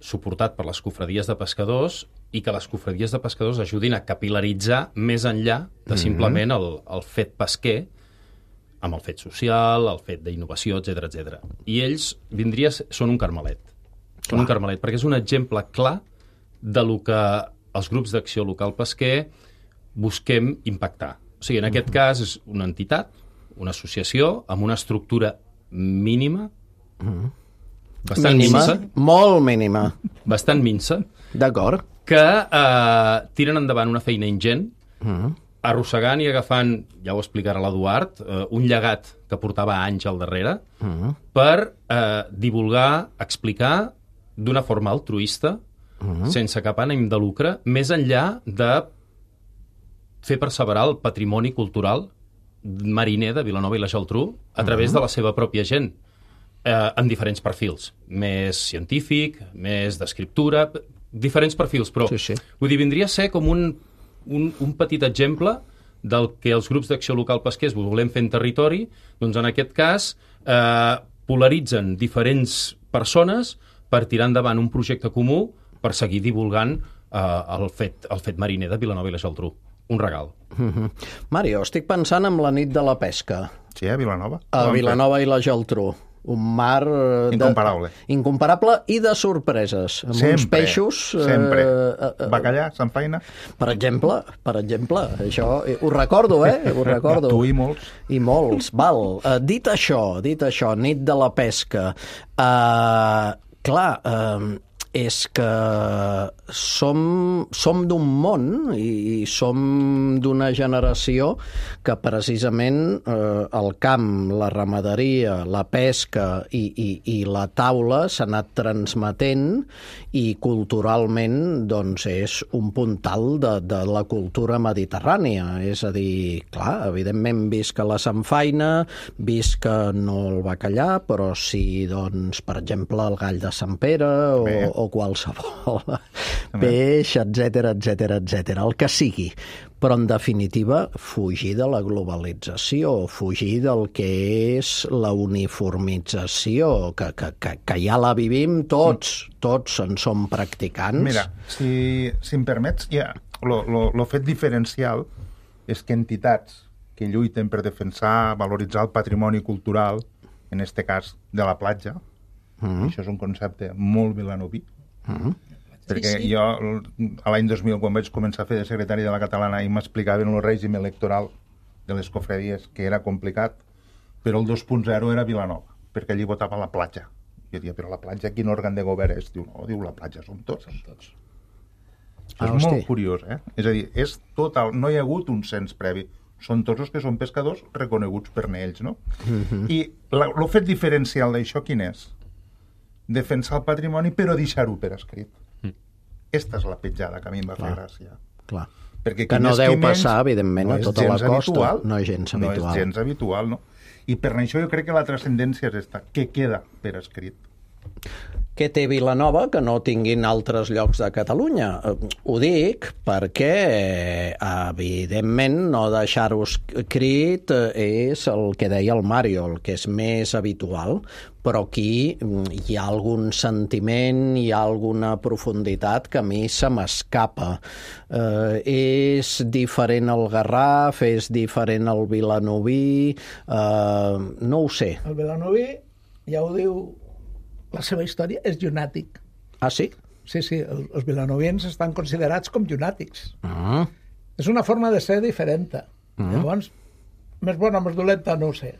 suportat per les cofradies de pescadors i que les cofradies de pescadors ajudin a capilaritzar més enllà de simplement el fet pesquer, amb el fet social, el fet d'innovació, etc. I ells són un carmelet. Són un carmelet, perquè és un exemple clar de lo que els grups d'acció local pesquer busquem impactar. O sigui, en aquest cas és una entitat, una associació, amb una estructura mínima, bastant minsa. Molt mínima. Bastant minsa. D'acord. Que tiren endavant una feina ingent, arrossegant i agafant, ja ho explicarà l'Eduard, un llegat que portava anys al darrere, per divulgar, explicar d'una forma altruista, sense cap ànim de lucre, més enllà de fer perseverar el patrimoni cultural mariner de Vilanova i la Geltrú a través de la seva pròpia gent, en diferents perfils, més científic, més d'escriptura, diferents perfils, però vull dir, vindria a ser com un petit exemple del que els grups d'acció local pesquers volem fer en territori, doncs en aquest cas polaritzen diferents persones per tirar endavant un projecte comú per seguir divulgant el fet mariner de Vilanova i la Geltrú. Un regal. Mario, estic pensant en la nit de la pesca. Sí, a Vilanova. A Vilanova i la Geltrú. Un mar incomparable i de sorpreses, amb uns peixos... Sempre. Bacallà, samfaina. Per exemple, això ho recordo, ho recordo. Tu i molts. I molts, val. Dit això, nit de la pesca, clar, és que som d'un món i som d'una generació que precisament el camp, la ramaderia, la pesca i la taula s'ha anat transmetent i culturalment doncs és un puntal de la cultura mediterrània. És a dir, clar, evidentment visca la samfaina, visca no el bacallà, però sí, doncs, per exemple, el gall de Sant Pere o qualsevol peix, etc, el que sigui. Però, en definitiva, fugir de la globalització, fugir del que és la uniformització, que ja la vivim tots en som practicants. Mira, si em permets, ja, el fet diferencial és que entitats que lluiten per defensar, valoritzar el patrimoni cultural, en este cas de la platja, això és un concepte molt vilanoví, perquè jo a l'any 2000 quan vaig començar a fer de secretari de la Catalana i m'explicaven el règim electoral de les cofradies, que era complicat, però el 2.0 era Vilanova, perquè allí votava la platja. Jo dia, però la platja quin òrgan de govern és? Diu, no, diu, la platja som tots. És molt curiós, És a dir, és total, no hi ha hagut un cens previ, són tots els que són pescadors reconeguts per ells, no? I el fet diferencial d'això quin és? Defensar el patrimoni però deixar-ho per escrit. Esta és la petjada que a mi em va fer gràcia. Clar. Que no deu passar, evidentment, a tota la costa. No és gens habitual. No és gens habitual, no? I per això jo crec que la transcendència és esta, que queda per escrit. Què té Vilanova que no tinguin altres llocs de Catalunya? Ho dic perquè, evidentment, no deixar-ho escrit és el que deia el Mario, el que és més habitual, però aquí hi ha algun sentiment, hi ha alguna profunditat que a mi se m'escapa. És diferent el Garraf, és diferent el vilanoví, no ho sé. El vilanoví, ja ho diu, la seva història és llunàtic. Ah, sí? Sí, els vilanoviens estan considerats com llunàtics. És una forma de ser diferent. Llavors, més bona, més dolenta, no ho sé.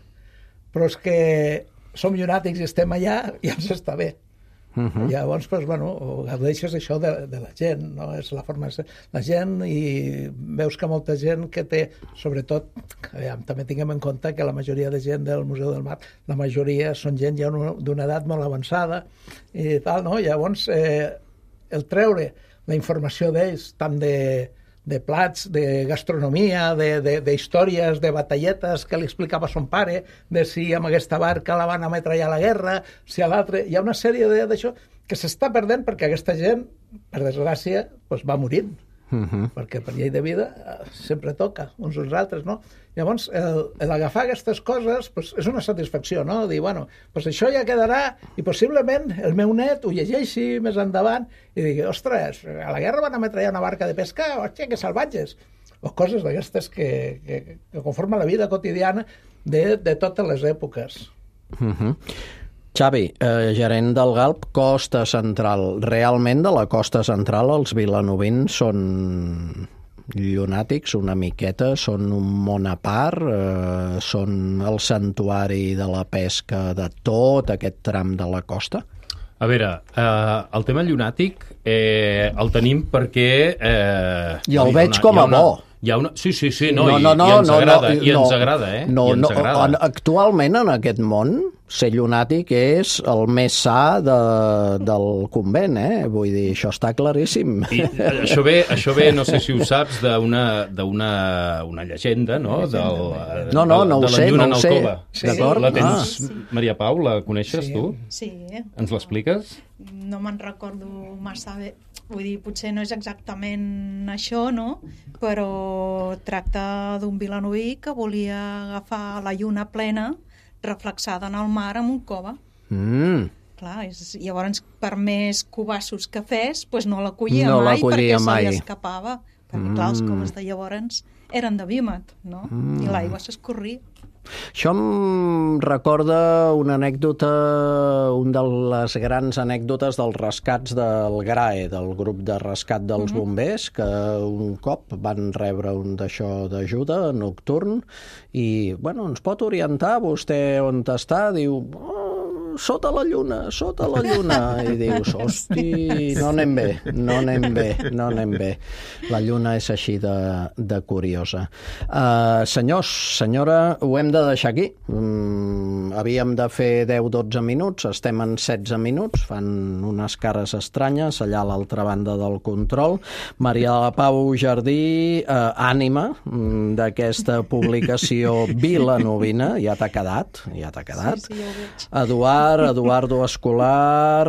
Però és que som llunàtics i estem allà i ens està bé. Llavors, gaudeixes això de la gent, no? És la forma de ser la gent, i veus que molta gent que té, sobretot, també tinguem en compte que la majoria de gent del Museu del Mar, la majoria són gent ja d'una edat molt avançada i tal, no? Llavors, el treure la informació d'ells, tant de plats, de gastronomia, d'històries, de batalletes que li explicava son pare, de si amb aquesta barca la van ametrallar a la guerra, si a l'altre... Hi ha una sèrie d'això que s'està perdent perquè aquesta gent, per desgràcia, va morint. Perquè per llei de vida sempre toca uns als altres, no? Llavors, l'agafar aquestes coses és una satisfacció, no? Dir, això ja quedarà i possiblement el meu net ho llegeixi més endavant i digui, ostres, a la guerra van ametrallar una barca de pesca, hòstia, que salvatges! O coses d'aquestes que conformen la vida quotidiana de totes les èpoques. Xavi, gerent del GALP, Costa Central. Realment, de la Costa Central, els vilanovins són llunàtics una miqueta, són un món a part, són el santuari de la pesca de tot aquest tram de la costa? A veure, el tema llunàtic el tenim perquè... I el veig com a bo. Sí, no, i ens agrada, ens agrada. Actualment, en aquest món, ser llunàtic és el més sa del convent, Vull dir, això està claríssim. I això ve, no sé si ho saps, d'una llegenda, no? No ho sé, no ho sé. La tens, Maria Pau, la coneixes tu? Sí. Ens l'expliques? No me'n recordo massa bé. Vull dir, potser no és exactament això, no? Però tracta d'un vilanoví que volia agafar la lluna plena reflexada en el mar amb un cova. Clar, llavors, per més cubassos que fes, no l'acollia mai perquè se li escapava. Perquè, clar, els coves de llavors eren de vímet, no? I l'aigua s'escorria. Això em recorda una anècdota, una de les grans anècdotes dels rescats del GRAE, del grup de rescat dels bombers, que un cop van rebre un d'això d'ajuda nocturn i, ens pot orientar vostè on està? Diu, sota la lluna, i dius, hosti, no anem bé. La lluna és així de curiosa. Senyors, senyora, ho hem de deixar aquí. Havíem de fer 10-12 minuts, estem en 16 minuts, fan unes cares estranyes allà a l'altra banda del control. Maria de la Pau Jardí, ànima d'aquesta publicació vilanovina, ja t'ha quedat. Sí, ja ho veig. Eduardo Escolar,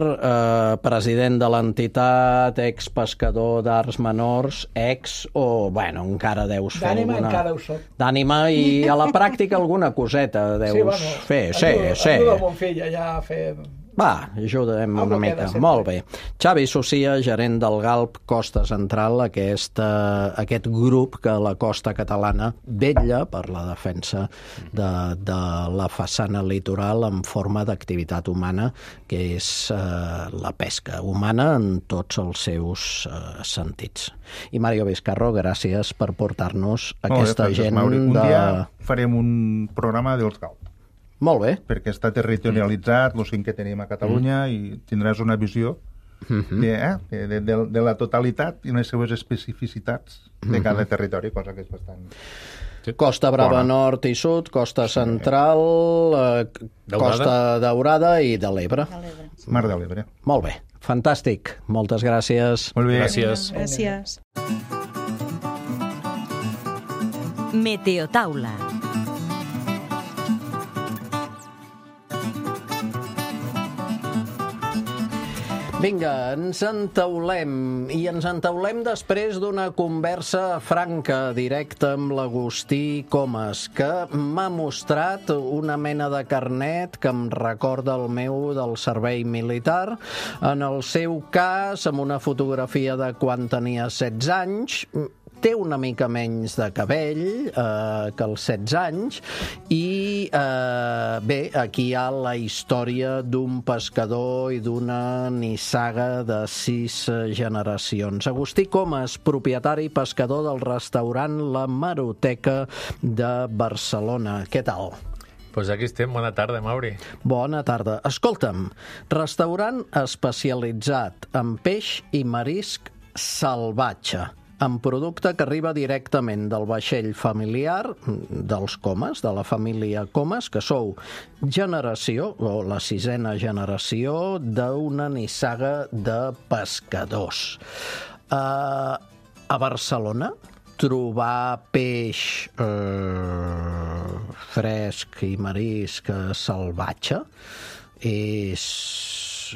president de l'entitat, expescador d'arts menors, encara deus fer d'ànima, encara ho soc. D'ànima, i a la pràctica alguna coseta deus fer. Ajuda mon fill allà a fer... Va, ajudem una mica. Molt bé. Xavi Socia, gerent del GALP Costa Central, aquest grup que la costa catalana vetlla per la defensa de la façana litoral en forma d'activitat humana, que és la pesca humana en tots els seus sentits. I Mario Vizcarro, gràcies per portar-nos aquesta gent Un dia farem un programa dels GALP. Molt bé. Perquè està territorialitzat, el 5 que tenim a Catalunya, i tindràs una visió de la totalitat i les seues especificitats de cada territori, cosa que és bastant... Costa Brava Nord i Sud, Costa Central, Costa Daurada i de l'Ebre. Mar de l'Ebre. Molt bé, fantàstic. Moltes gràcies. Molt bé. Gràcies. Meteotaula. Vinga, ens entaulem, i ens entaulem després d'una conversa franca, directa amb l'Agustí Comas, que m'ha mostrat una mena de carnet que em recorda el meu del servei militar. En el seu cas, amb una fotografia de quan tenia 16 anys, té una mica menys de cabell que als 16 anys i bé, aquí hi ha la història d'un pescador i d'una nissaga de 6 generacions. Agustí Comas, propietari i pescador del restaurant La Maroteca de Barcelona. Què tal? Pues aquí estem. Bona tarda, Mauri. Bona tarda. Escolta'm, restaurant especialitzat en peix i marisc salvatge, amb producte que arriba directament del vaixell familiar dels Comas, de la família Comas, que sou generació, o la 6ª generació, d'una nissaga de pescadors. A Barcelona, trobar peix fresc i marisc salvatge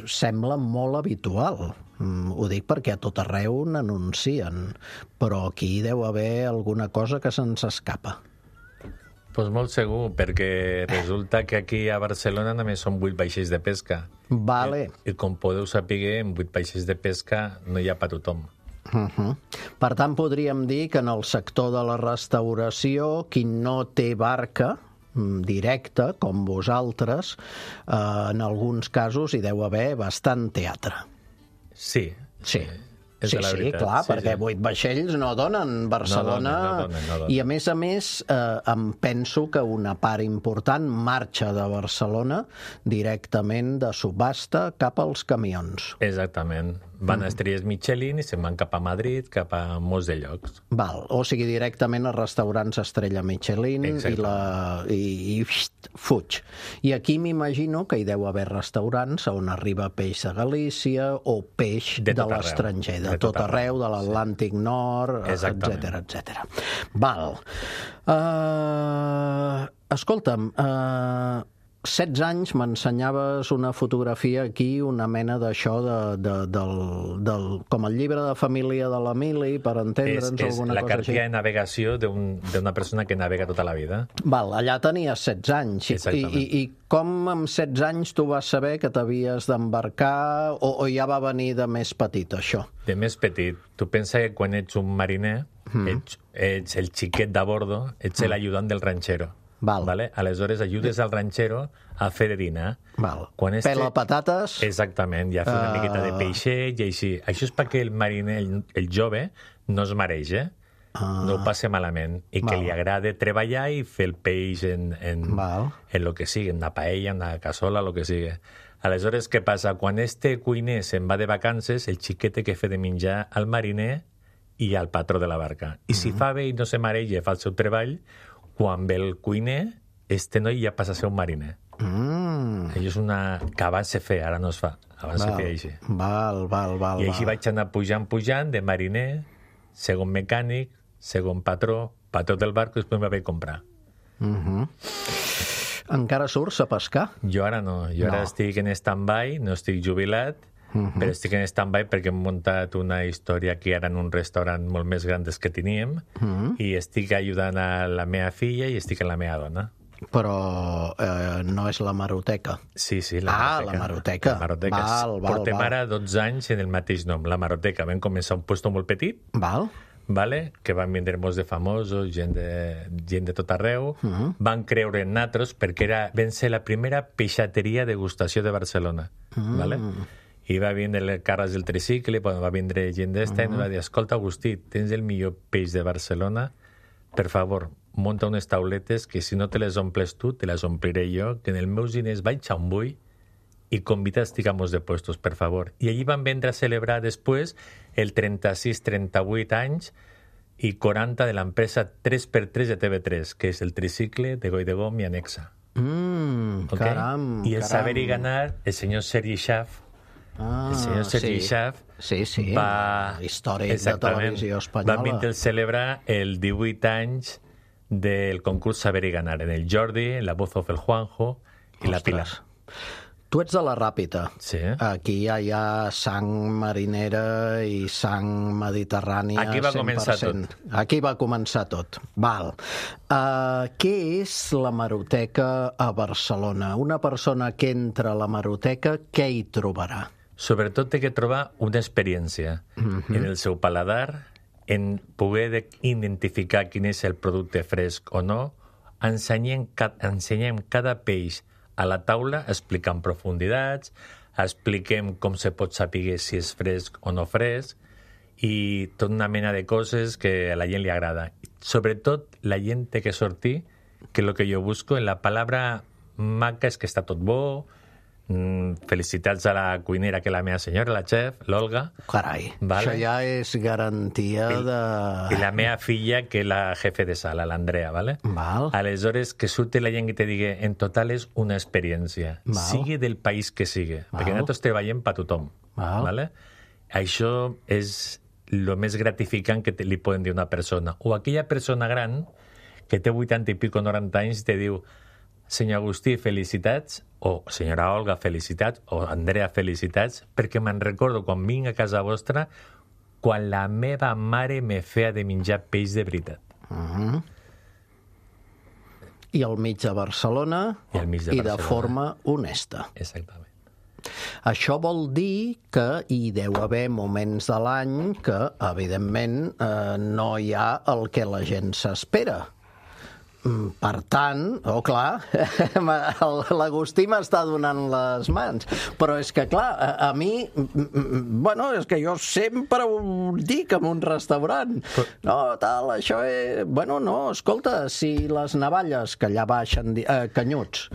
sembla molt habitual. Ho dic perquè a tot arreu n'anuncien, però aquí deu haver alguna cosa que se'ns escapa. Pues molt segur, perquè resulta que aquí a Barcelona només són 8 vaixells de pesca. Vale. I com podeu saber, en 8 vaixells de pesca no hi ha per tothom. Per tant, podríem dir que en el sector de la restauració, qui no té barca directa, com vosaltres, en alguns casos hi deu haver bastant teatre. Sí. Sí, clar, perquè 8 vaixells no donen Barcelona. No donen. I a més, em penso que una part important marxa de Barcelona directament de subhasta cap als camions. Exactament. Van a Estrelles Michelin i se'n van cap a Madrid, cap a molts de llocs. Val, o sigui, directament a restaurants Estrella Michelin i fuig. I aquí m'imagino que hi deu haver restaurants on arriba peix de Galícia o peix de l'estranger, de tot arreu, de l'Atlàntic Nord, etc. Val. Escolta'm, 16 anys m'ensenyaves una fotografia aquí, una mena d'això com el llibre de família de l'Emili, per entendre'ns alguna cosa així. És la cartilla de navegació d'una persona que navega tota la vida. Val, allà tenies 16 anys. I com amb 16 anys tu vas saber que t'havies d'embarcar o ja va venir de més petit, això? De més petit. Tu pensa que quan ets un mariner, ets el xiquet de bordo, ets l'ajudant del ranxero. Vale? Aleshores ajudes al ranxero a fer de dinar. Pela patates. Exactament, i a fer una miqueta de peixet i així. Això és perquè el mariner, el jove, no es mareja, no ho passa malament, i que li agrada treballar i fer el peix en lo que sigui, en una paella, en una cassola, lo que sigui. Aleshores, què passa? Quan este cuiner se'n va de vacances, el xiquet té que fer de menjar al mariner i al patró de la barca. I si fa bé i no se mareja i fa el seu treball, quan ve el cuiner, este noi ja passa a ser un mariner. Això és una que abans se feia, ara no es fa. Abans se feia així. I així vaig anar pujant de mariner, segon mecànic, segon patró del barco, i després me vaig comprar. Encara surts a pescar? Jo ara no. Jo ara estic en stand-by, no estic jubilat, però estic en stand-by perquè hem muntat una història aquí ara en un restaurant molt més gran des que teníem i estic ajudant a la meva filla i estic amb la meva dona. Però no és la Maroteca. Sí, la Maroteca. La Maroteca. Portem ara 12 anys en el mateix nom, la Maroteca. Vam començar un puesto molt petit, que van vindre molts de famosos, gent de tot arreu, van creure en nosaltres perquè vam ser la primera peixateria de degustació de Barcelona. I va vindre el Carles del Tricicle, va vindre gent d'esta, i ens va dir, escolta, Agustí, tens el millor peix de Barcelona, per favor, munta unes tauletes que si no te les omples tu, te les ompliré jo, que en els meus diners vaig a un bull i convida a estigamos de puestos, per favor. I allí van vindre a celebrar després el 36-38 anys i 40 de l'empresa 3x3 de TV3, que és el Tricicle de Goidegom i Anexa. Caram! I el saber i ganar, el senyor Sergi Schaaf, el senyor Sergi Schaaf va... històric de televisió espanyola. Va vindre a celebrar el 18 anys del concurs Saber i Ganar, en el Jordi, la voz of el Juanjo i la Pilar. Tu ets de la Ràpita. Sí. Aquí ja hi ha sang marinera i sang mediterrània. Aquí va començar tot. Aquí va començar tot. Val. Què és la Maroteca a Barcelona? Una persona que entra a la Maroteca, què hi trobarà? Sobretot té que trobar una experiència en el seu paladar, en poder identificar quin és el producte fresc o no. Ensenyem cada peix a la taula, explicant profunditats, expliquem com se pot saber si és fresc o no fresc, i tota una mena de coses que a la gent li agrada. Sobretot, la gent té que sortir, que és el que jo busco, en la paraula maca, és que està tot bo, felicitats a la cuinera, que és la meva senyora, la chef, l'Olga. Carai, això ja és garantia de... I la meva filla, que és la jefe de sala, l'Andrea, ¿vale? Aleshores, que surti la gent que te digui, en total és una experiència, sigui del país que sigui, perquè nosaltres treballem per tothom, ¿vale? Això és el més gratificant que li poden dir a una persona. O aquella persona gran que té 80 i pico, 90 anys, te diu, senyor Agustí, felicitats, o senyora Olga, felicitats, o Andrea, felicitats, perquè me'n recordo quan vinc a casa vostra quan la meva mare me feia de menjar peix de veritat. I al mig de Barcelona i de forma honesta. Exactament. Això vol dir que hi deu haver moments de l'any que, evidentment, no hi ha el que la gent s'espera. Per tant, clar, l'Agustí m'està donant les mans, però és que, clar, a mi, bueno, és que jo sempre ho dic en un restaurant, no, tal, això és... Bueno, no, escolta, si les navalles que allà baixen... Canyuts,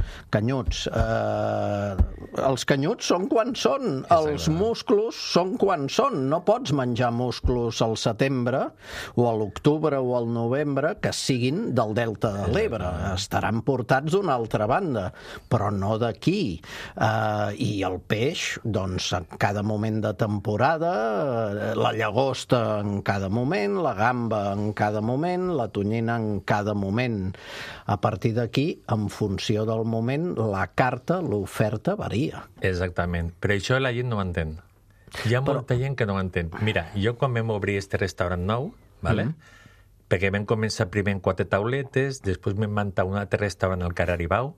els canyuts són quan són, els musclos són quan són, no pots menjar musclos al setembre, o a l'octubre o al novembre, que siguin del delta de l'Ebre, estaran portats d'una altra banda, però no d'aquí. I el peix, doncs, en cada moment de temporada, la llagosta en cada moment, la gamba en cada moment, la tonyina en cada moment. A partir d'aquí, en funció del moment, la carta, l'oferta varia. Exactament, però això la gent no ho entén. Hi ha molta gent que no ho entén. Mira, jo quan vam obrir este restaurant nou, ¿vale? Perquè vam començar primer en 4 tauletes, després vam muntar un altre restaurant al carrer Aribau,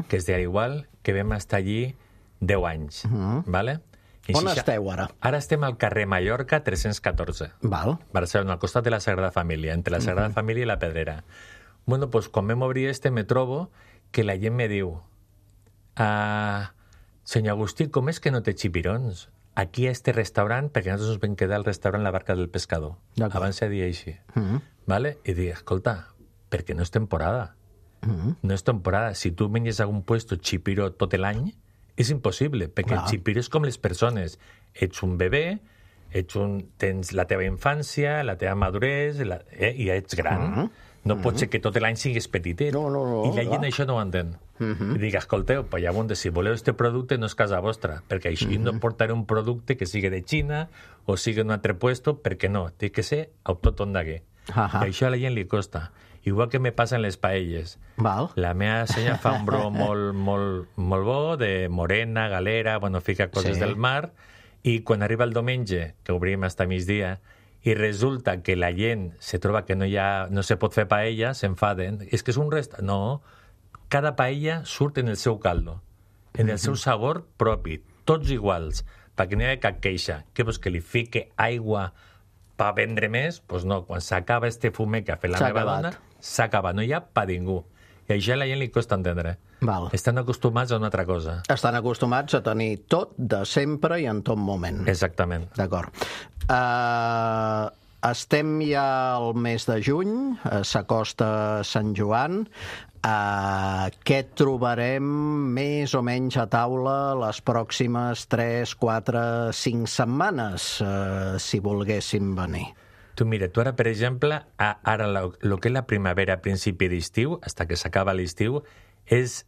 que és d'Igual, que vam estar allí 10 anys. ¿Vale? On esteu ara? Ara estem al carrer Mallorca 314. Barcelona, al costat de la Sagrada Família, entre la Sagrada Família i la Pedrera. Bueno, pues quan vam obrir me trobo que la gent me diu senyor Agustí, com és que no té xipirons? Aquí a este restaurant, perquè nosaltres ens vam quedar al restaurant La Barca del Pescador. Abans se deia així. ¿Vale? I dic, escolta, perquè no és temporada. No és temporada. Si tu menges a un puesto xipiro tot l'any, és impossible, perquè el xipiro és com les persones. Ets un bebè, tens la teva infància, la teva maduresa, i ja ets gran. No pot ser que tot l'any siguis petitet. I la gent això no ho entén. I dic, escolteu, pues llavors, si voleu este producte no és casa vostra, perquè així no portaré un producte que sigui de Xina o sigui d'un altre puesto, perquè no, té que ser autòcton d'aquí. I això a la gent li costa. Igual que me passa en les paelles. La meva senyora fa un bro molt bo, de morena, galera, bueno, fica coses del mar, i quan arriba el diumenge, que obrim hasta migdia, i resulta que la gent se troba que no se pot fer paella, s'enfaden. És que és un restaurant... No, cada paella surt en el seu caldo, en el seu sabor propi, tots iguals, perquè no hi ha cap queixa. Què vols, que li fique aigua per vendre més? Doncs no, quan s'acaba este fumet que ha fet la meva dona, s'acaba, no hi ha per ningú. I això a la gent li costa entendre. Estan acostumats a una altra cosa. Estan acostumats a tenir tot de sempre i en tot moment. Exactament. D'acord. Estem ja al mes de juny, s'acosta Sant Joan. Què trobarem més o menys a taula les pròximes 3, 4, 5 setmanes, si volguéssim venir? Tu mira, tu ara, per exemple, ara el que és la primavera a principi d'estiu, fins que s'acaba l'estiu,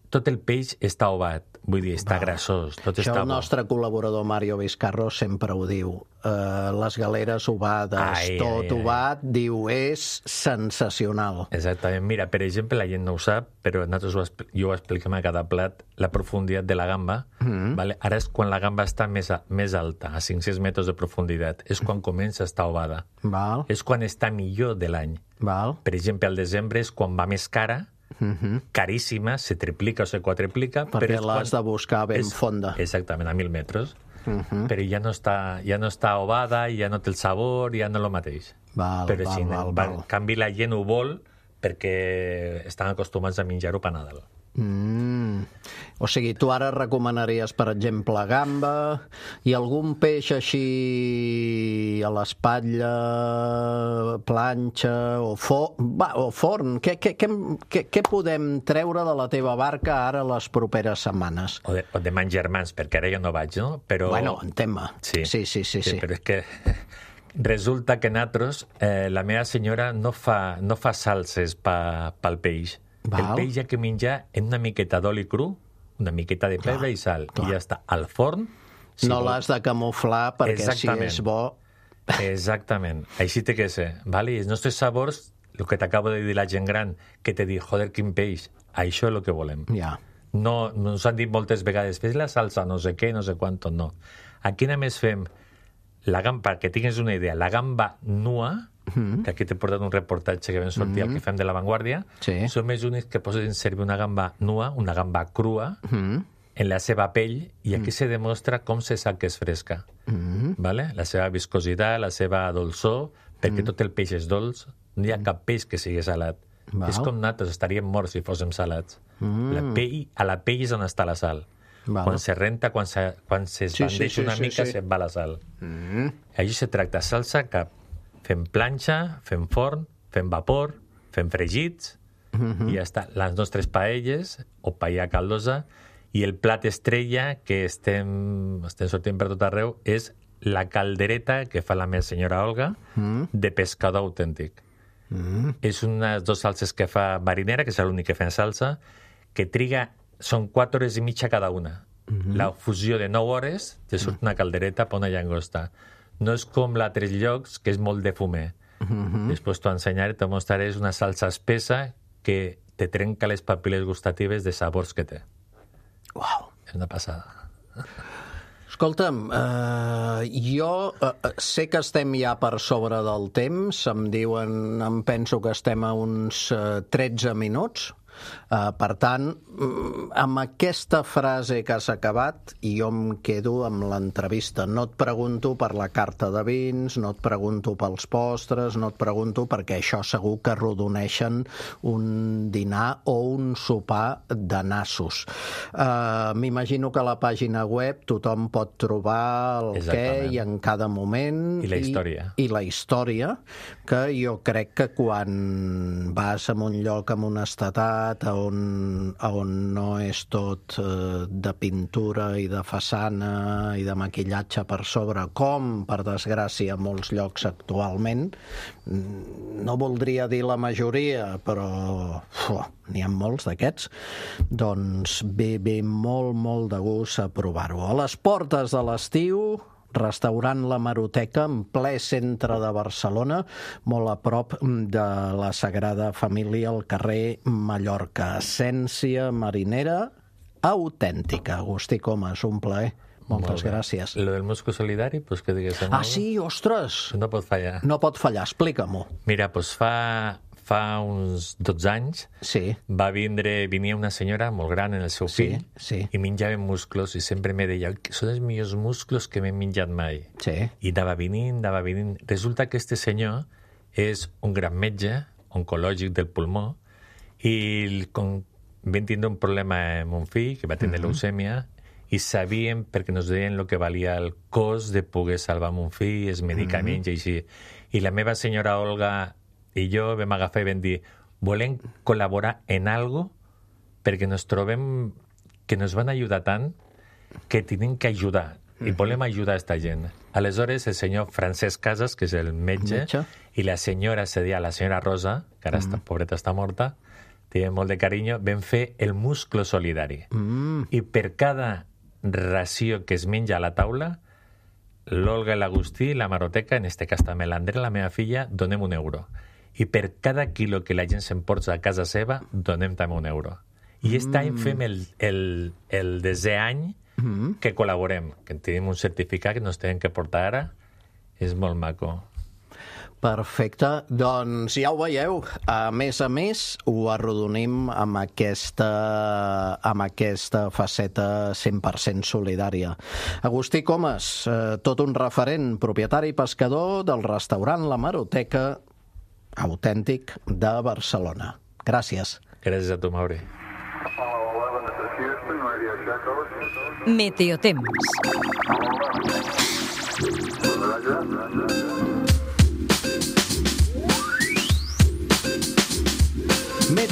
tot el peix està ovat, vull dir, està grassós, tot està bo. Això el nostre col·laborador Mario Vizcarro sempre ho diu. Les galeres ovades, tot ovat, diu, és sensacional. Exactament. Mira, per exemple, la gent no ho sap, però nosaltres jo ho expliquem a cada plat, la profunditat de la gamba. Ara és quan la gamba està més alta, a 500 metres de profunditat. És quan comença a estar ovada. És quan està millor de l'any. Per exemple, al desembre és quan va més cara, caríssima, se triplica o se quadriplica, perquè l'has de buscar ben fonda. Exactament, a 1.000 metres. Però ja no està ovada, ja no té el sabor, ja no és el mateix. Però en canvi la gent ho vol perquè estan acostumats a menjar-ho per Nadal. O sigui, tu ara recomanaries, per exemple, gamba i algun peix així a l'espatlla, planxa o forn. Què podem treure de la teva barca ara les properes setmanes? O de mangermans, perquè ara jo no vaig, no? Però... Bueno, entén-me. Sí, però és que resulta que nosaltres, la meva senyora no fa salses pel peix. El peix hi ha que menjar en una miqueta d'oli cru, una miqueta de pebre i sal, i ja està. Al forn... No l'has de camuflar perquè si és bo... Exactament. Així té que ser. I els nostres sabors, el que t'acabo de dir la gent gran, que te diu, joder, quin peix, això és el que volem. No ens han dit moltes vegades, fes la salsa, no sé què, no sé quanto, no. Aquí només fem la gamba, perquè tinguis una idea, la gamba nua, que aquí t'he portat un reportatge que vam sortir al que fem de La Vanguardia, som els únics que posen servir una gamba nua, una gamba crua, en la seva pell, i aquí se demostra com se sap que és fresca. La seva viscositat, la seva dolçor, perquè tot el peix és dolç, no hi ha cap peix que sigui salat. És com nosaltres, estaríem morts si fóssim salats. A la pell és on està la sal. Quan se renta, quan se esbandeix una mica, se'n va la sal. Així se tracta salsa cap. Fem planxa, fem forn, fem vapor, fem fregits, i ja està. Les nostres paelles, o paella caldosa, i el plat estrella que estem sortint per tot arreu és la caldereta que fa la meva senyora Olga de pescador autèntic. És unes 2 salses que fa marinera, que és l'únic que fa salsa, que triga, són 4 hores i mitja cada una. La fusió de 9 hores te surt una caldereta per una llagosta. No és com l'altres llocs, que és molt de fumer. Després t'ho ensenyaré, t'ho mostraré, és una salsa espessa que te trenca les papil·les gustatives de sabors que té. Uau! És una passada. Escolta'm, jo sé que estem ja per sobre del temps, em penso que estem a uns 13 minuts. Per tant, amb aquesta frase que has acabat, jo em quedo amb l'entrevista. No et pregunto per la carta de vins, no et pregunto pels postres, no et pregunto perquè això segur que arrodoneixen un dinar o un sopar de nassos. M'imagino que a la pàgina web tothom pot trobar el què i en cada moment. I la història. I la història, que jo crec que quan vas a un lloc amb honestedat, on no és tot de pintura i de façana i de maquillatge per sobre, com, per desgràcia, a molts llocs actualment. No voldria dir la majoria, però n'hi ha molts d'aquests. Doncs ve molt, molt de gust a provar-ho. A les portes de l'estiu, restaurant La Maroteca, en ple centre de Barcelona, molt a prop de la Sagrada Família, al carrer Mallorca. Essència marinera autèntica. Agustí Comas, un plaer. Moltes gràcies. Lo del musclo solidari, pues que digues... Sí, ostres! No pot fallar. No pot fallar, explica-m'ho. Mira, pues fa uns 12 anys venia una senyora molt gran en el seu fill i menjava musclos i sempre me deia són els millors musclos que m'he menjat mai. I anava venint. Resulta que este senyor és un gran metge oncològic del pulmó i vam tindre un problema amb un fill que va tenir leucèmia i sabíem, perquè ens deien el que valia el cost de poder salvar un fill, els medicaments i així. I la meva senyora Olga i jo vam agafar i vam dir volem col·laborar en algo perquè ens trobem que ens van ajudar tant que tenim que ajudar i volem ajudar a esta gent. Aleshores, el senyor Francesc Casas, que és el metge, i la senyora sedia la senyora Rosa, que ara pobreta està morta, té molt de carinyo, vam fer el musclo solidari. I per cada ració que es menja a la taula, l'Olga i l'Agustí, la Maroteca, en este cas també l'Andrea, la meva filla, donem €1. I per cada quilo que la gent s'emporta a casa seva, donem també €1. I aquest any fem el 10è any que col·laborem, que tenim un certificat que ens tenen que portar ara. És molt maco. Perfecte. Doncs ja ho veieu. A més, ho arrodonim amb aquesta faceta 100% solidària. Agustí Comas, tot un referent, propietari i pescador del restaurant La Maroteca, autèntic de Barcelona. Gràcies. Gràcies a tu, Mauri. Meteotemps.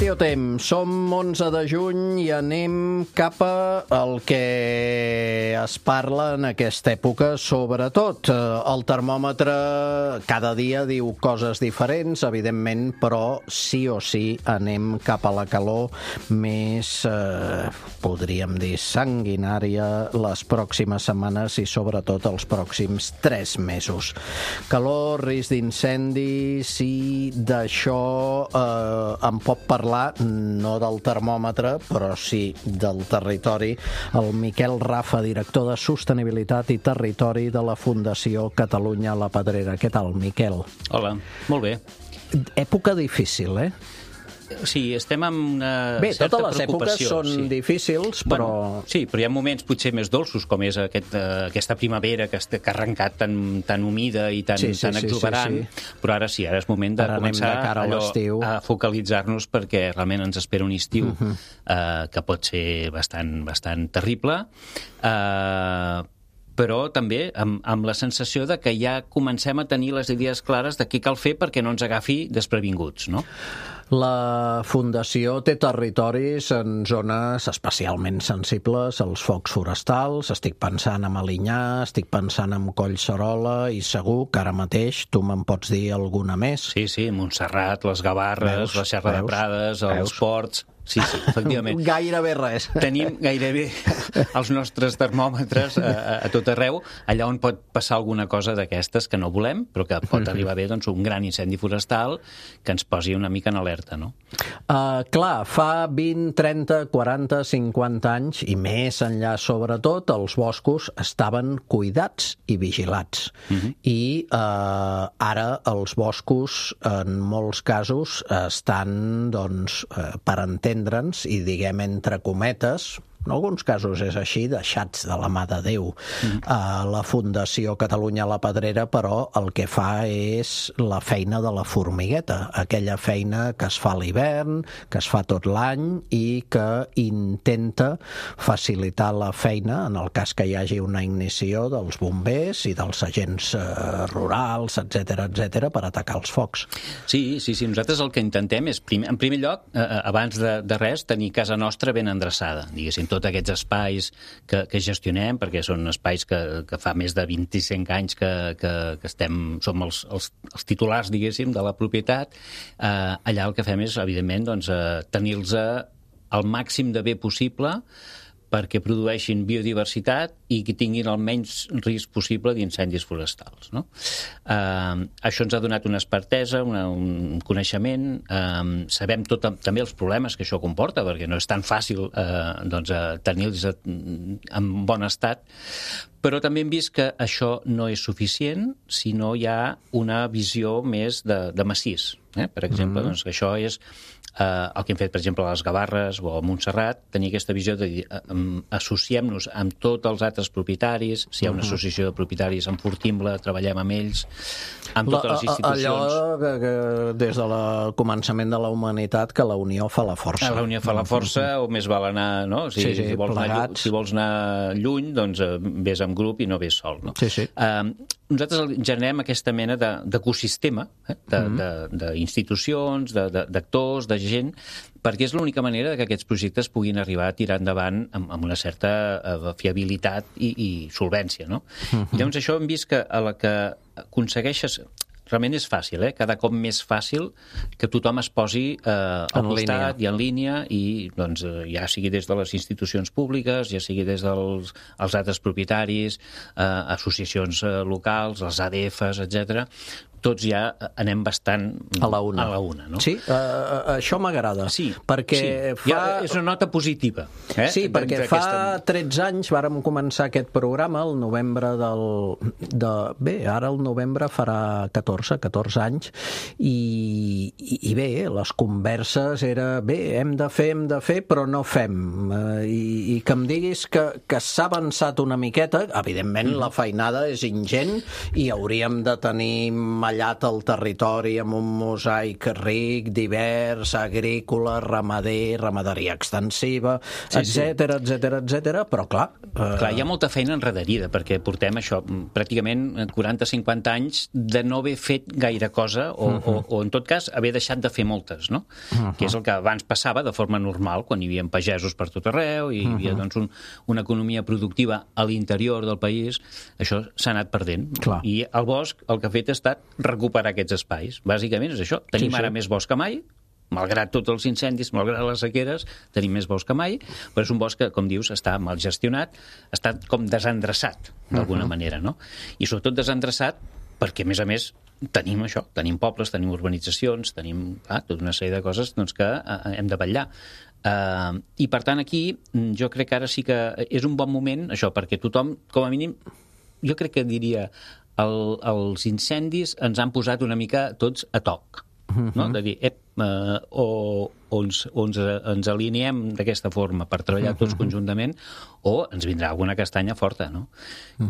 Meteotemps, som 11 de juny i anem cap al que es parla en aquesta època, sobretot. El termòmetre cada dia diu coses diferents, evidentment, però sí o sí anem cap a la calor més, podríem dir, sanguinària les pròximes setmanes i sobretot els pròxims 3 mesos. Calor, risc d'incendis, i d'això en pot parlar, no del termòmetre, però sí del territori, el Miquel Rafa, director de Sostenibilitat i Territori de la Fundació Catalunya La Pedrera. Què tal, Miquel? Hola, molt bé. Època difícil, Sí, estem amb una Bé, certa totes les èpoques són difícils, però... Bueno, sí, però hi ha moments potser més dolços, com és aquesta primavera que ha arrencat tan humida i tan exuberant, però ara sí, ara és moment de començar a focalitzar-nos perquè realment ens espera un estiu que pot ser bastant terrible, però també amb la sensació de que ja comencem a tenir les idees clares de què cal fer perquè no ens agafi desprevinguts, no? La Fundació té territoris en zones especialment sensibles als focs forestals. Estic pensant en Alinyà, estic pensant en Collserola i segur que ara mateix tu me'n pots dir alguna més. Sí, Montserrat, les Gavarres, la Serra de Prades, els Ports... Sí, efectivament. Gairebé res. Tenim gairebé els nostres termòmetres a tot arreu, allà on pot passar alguna cosa d'aquestes que no volem, però que pot arribar bé un gran incendi forestal que ens posi una mica en alerta, no? Clar, fa 20, 30, 40, 50 anys, i més enllà sobretot, els boscos estaven cuidats i vigilats. I ara els boscos, en molts casos, estan, per entendre'ns, i diguem entre cometes, en alguns casos és així, deixats de la mà de Déu. La Fundació Catalunya La Pedrera, però, el que fa és la feina de la formigueta, aquella feina que es fa a l'hivern, que es fa tot l'any i que intenta facilitar la feina en el cas que hi hagi una ignició dels bombers i dels agents rurals, etc per atacar els focs. Sí, nosaltres el que intentem és, en primer lloc, abans de res, tenir casa nostra ben endreçada, diguéssim, tots aquests espais que gestionem, perquè són espais que fa més de 25 anys que som els titulars, diguéssim, de la propietat. Allà el que fem és, evidentment, tenir-los al màxim de bé possible perquè produeixin biodiversitat i que tinguin el menys risc possible d'incendis forestals, no? Això ens ha donat una expertesa, un coneixement, sabem també els problemes que això comporta, perquè no és tan fàcil tenir-los en bon estat, però també hem vist que això no és suficient si no hi ha una visió més de massís. Per exemple, que això és el que hem fet, per exemple, a les Gavarres o a Montserrat, tenir aquesta visió de dir, associem-nos amb tots els altres propietaris, si hi ha una associació de propietaris, enfortim-la, treballem amb ells, amb totes les institucions. Allò que des del començament de la humanitat, que la unió fa la força. La unió fa la força, o més val anar, no? Si vols anar lluny, doncs vés en grup i no vés sol, no? Nosaltres generem aquesta mena d'ecosistema, d'institucions, d'actors, de gent, perquè és l'única manera que aquests projectes puguin arribar a tirar endavant amb una certa fiabilitat i solvència, no? I llavors això hem vist que a la que aconsegueixes... Realment és fàcil, cada cop més fàcil que tothom es posi al costat i en línia, i doncs, ja sigui des de les institucions públiques, ja sigui des dels altres propietaris, associacions locals, els ADFs, etc. Tots ja anem bastant a la una, no? Sí, això m'agrada. Sí, perquè és una nota positiva. Sí, perquè fa 13 anys vàrem començar aquest programa, el novembre ara el novembre farà 14 anys, i bé, les converses era, hem de fer, però no fem. I que em diguis que s'ha avançat una miqueta, evidentment la feinada és ingent i hauríem de tenir tallat el territori amb un mosaic ric, divers, agrícola, ramader, ramaderia extensiva, etc, però clar... Clar, hi ha molta feina enrederida, perquè portem això, pràcticament 40-50 anys de no haver fet gaire cosa, o en tot cas, haver deixat de fer moltes, no? Que és el que abans passava de forma normal, quan hi havia pagesos per tot arreu, i hi havia doncs, una economia productiva a l'interior del país, això s'ha anat perdent. Clar. I el bosc el que ha fet ha estat recuperar aquests espais. Bàsicament és això. Tenim ara més bosc que mai, malgrat tots els incendis, malgrat les sequeres, tenim més bosc que mai, però és un bosc que, com dius, està mal gestionat, està com desendreçat, d'alguna manera, no? I sobretot desendreçat perquè, a més, tenim això, tenim pobles, tenim urbanitzacions, tenim tota una sèrie de coses doncs, que hem de vetllar. I, per tant, aquí jo crec que ara sí que és un bon moment, això, perquè tothom, com a mínim, jo crec que diria, els incendis ens han posat una mica tots a toc, no? De dir, o ens alineem d'aquesta forma per treballar tots conjuntament, o ens vindrà alguna castanya forta, no?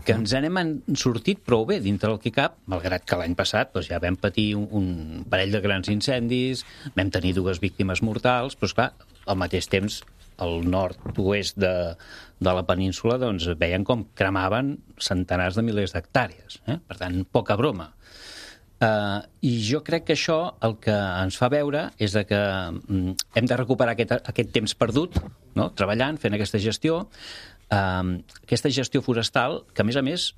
Que ens n'hem sortit prou bé dintre del que cap, malgrat que l'any passat doncs, ja vam patir un parell de grans incendis, vam tenir 2 víctimes mortals, però esclar, al mateix temps al nord-oest de la península doncs, veien com cremaven centenars de milers d'hectàrees. Per tant, poca broma. I jo crec que això el que ens fa veure és que hem de recuperar aquest temps perdut, no? Treballant, fent aquesta gestió forestal, que a més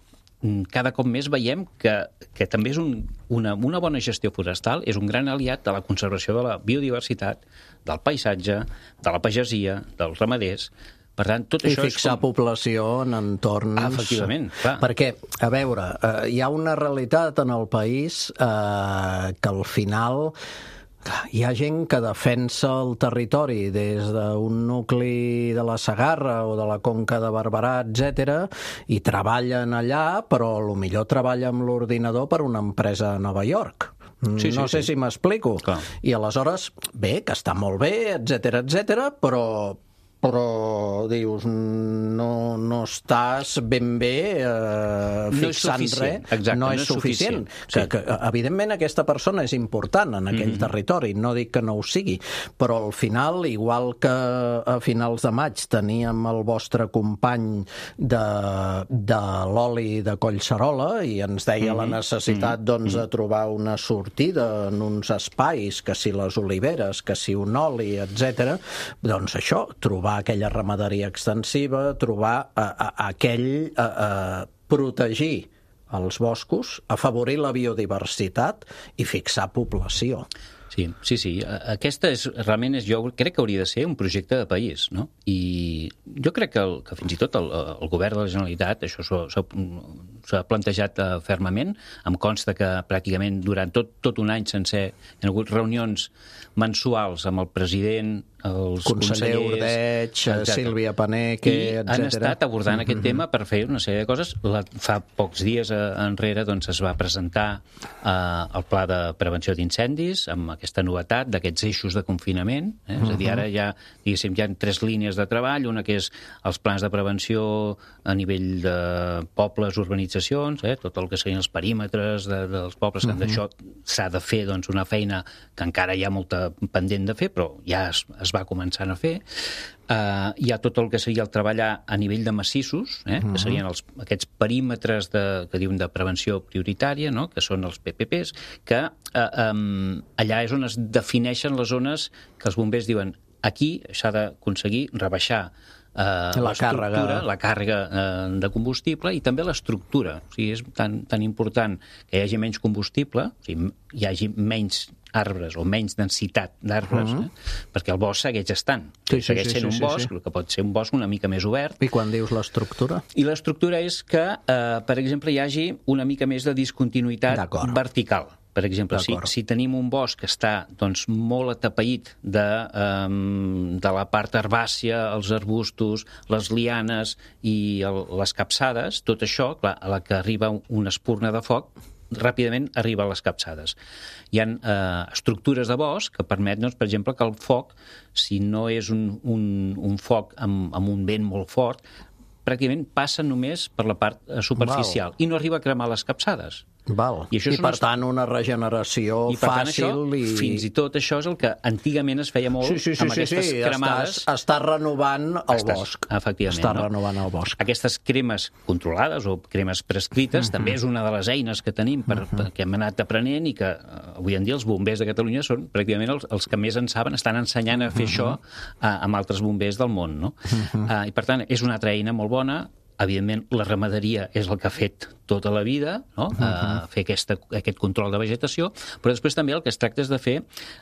cada cop més veiem que també és una bona gestió forestal, és un gran aliat de la conservació de la biodiversitat, del paisatge, de la pagesia, dels ramaders. Per tant, tot això I fixar població en entorns... Efectivament, clar. Perquè, a veure, hi ha una realitat en el país que al final... Hi ha gent que defensa el territori des d'un nucli de la Segarra o de la Conca de Barberà, etc, i treballen allà, però millor treballa amb l'ordinador per una empresa a Nova York. No sé si m'explico. I aleshores, bé, que està molt bé, etc, però dius, no estàs ben bé fixant res. Exacte, no és suficient. Que, evidentment, aquesta persona és important en aquell territori, no dic que no ho sigui, però al final, igual que a finals de maig teníem el vostre company de l'oli de Collserola i ens deia la necessitat doncs, de trobar una sortida en uns espais, que si les oliveres, que si un oli, etc. Doncs això, trobar aquella ramaderia extensiva, trobar protegir els boscos, afavorir la biodiversitat i fixar població. Sí. Aquesta realment jo crec que hauria de ser un projecte de país, no? I jo crec que fins i tot el govern de la Generalitat això s'ha plantejat fermament. Em consta que pràcticament durant tot un any sencer hi ha hagut reunions mensuals amb el president, els conseller Ordeig, Sílvia Paneque, etc. Han estat abordant aquest tema per fer una sèrie de coses. Fa pocs dies enrere doncs, es va presentar el pla de prevenció d'incendis amb aquesta novetat d'aquests eixos de confinament. És a dir, ara ja, diguéssim, hi ha 3 línies de treball, una que és els plans de prevenció a nivell de pobles, urbanitzacions, tot el que serien els perímetres dels pobles, que d'això s'ha de fer doncs, una feina que encara hi ha molta pendent de fer, però ja es va començant a fer. Hi ha tot el que seria el treballar a nivell de massissos, que serien aquests perímetres que diuen de prevenció prioritària, no? Que són els PPPs, que allà és on es defineixen les zones que els bombers diuen aquí s'ha d'aconseguir rebaixar la càrrega de combustible i també l'estructura. O sigui, és tan important que hi hagi menys combustible, o sigui, hi hagi menys arbres o menys densitat d'arbres, perquè el bosc segueix estant. Segueix sent un bosc, el que pot ser un bosc una mica més obert. I quan dius l'estructura? I l'estructura és que, per exemple, hi hagi una mica més de discontinuïtat vertical. Per exemple, si tenim un bosc que està doncs, molt atapeït de la part herbàcia, els arbustos, les lianes i les capçades, tot això, clar, a la que arriba una espurna de foc, ràpidament arriba a les capçades. Hi ha estructures de bosc que permeten, doncs, per exemple, que el foc, si no és un foc amb un vent molt fort, pràcticament passa només per la part superficial i no arriba a cremar les capçades. I per tant una regeneració fàcil. Fins i tot això és el que antigament es feia molt amb aquestes cremades. Està renovant el bosc. Efectivament. Està renovant el bosc. Aquestes cremes controlades o cremes prescrites també és una de les eines que tenim que hem anat aprenent i que avui en dia els bombers de Catalunya són pràcticament els que més en saben, estan ensenyant a fer això amb altres bombers del món, no? I per tant, és una altra eina molt bona. Evidentment, la ramaderia és el que ha fet tota la vida, no? Fer aquest control de vegetació, però després també el que es tracta és de fer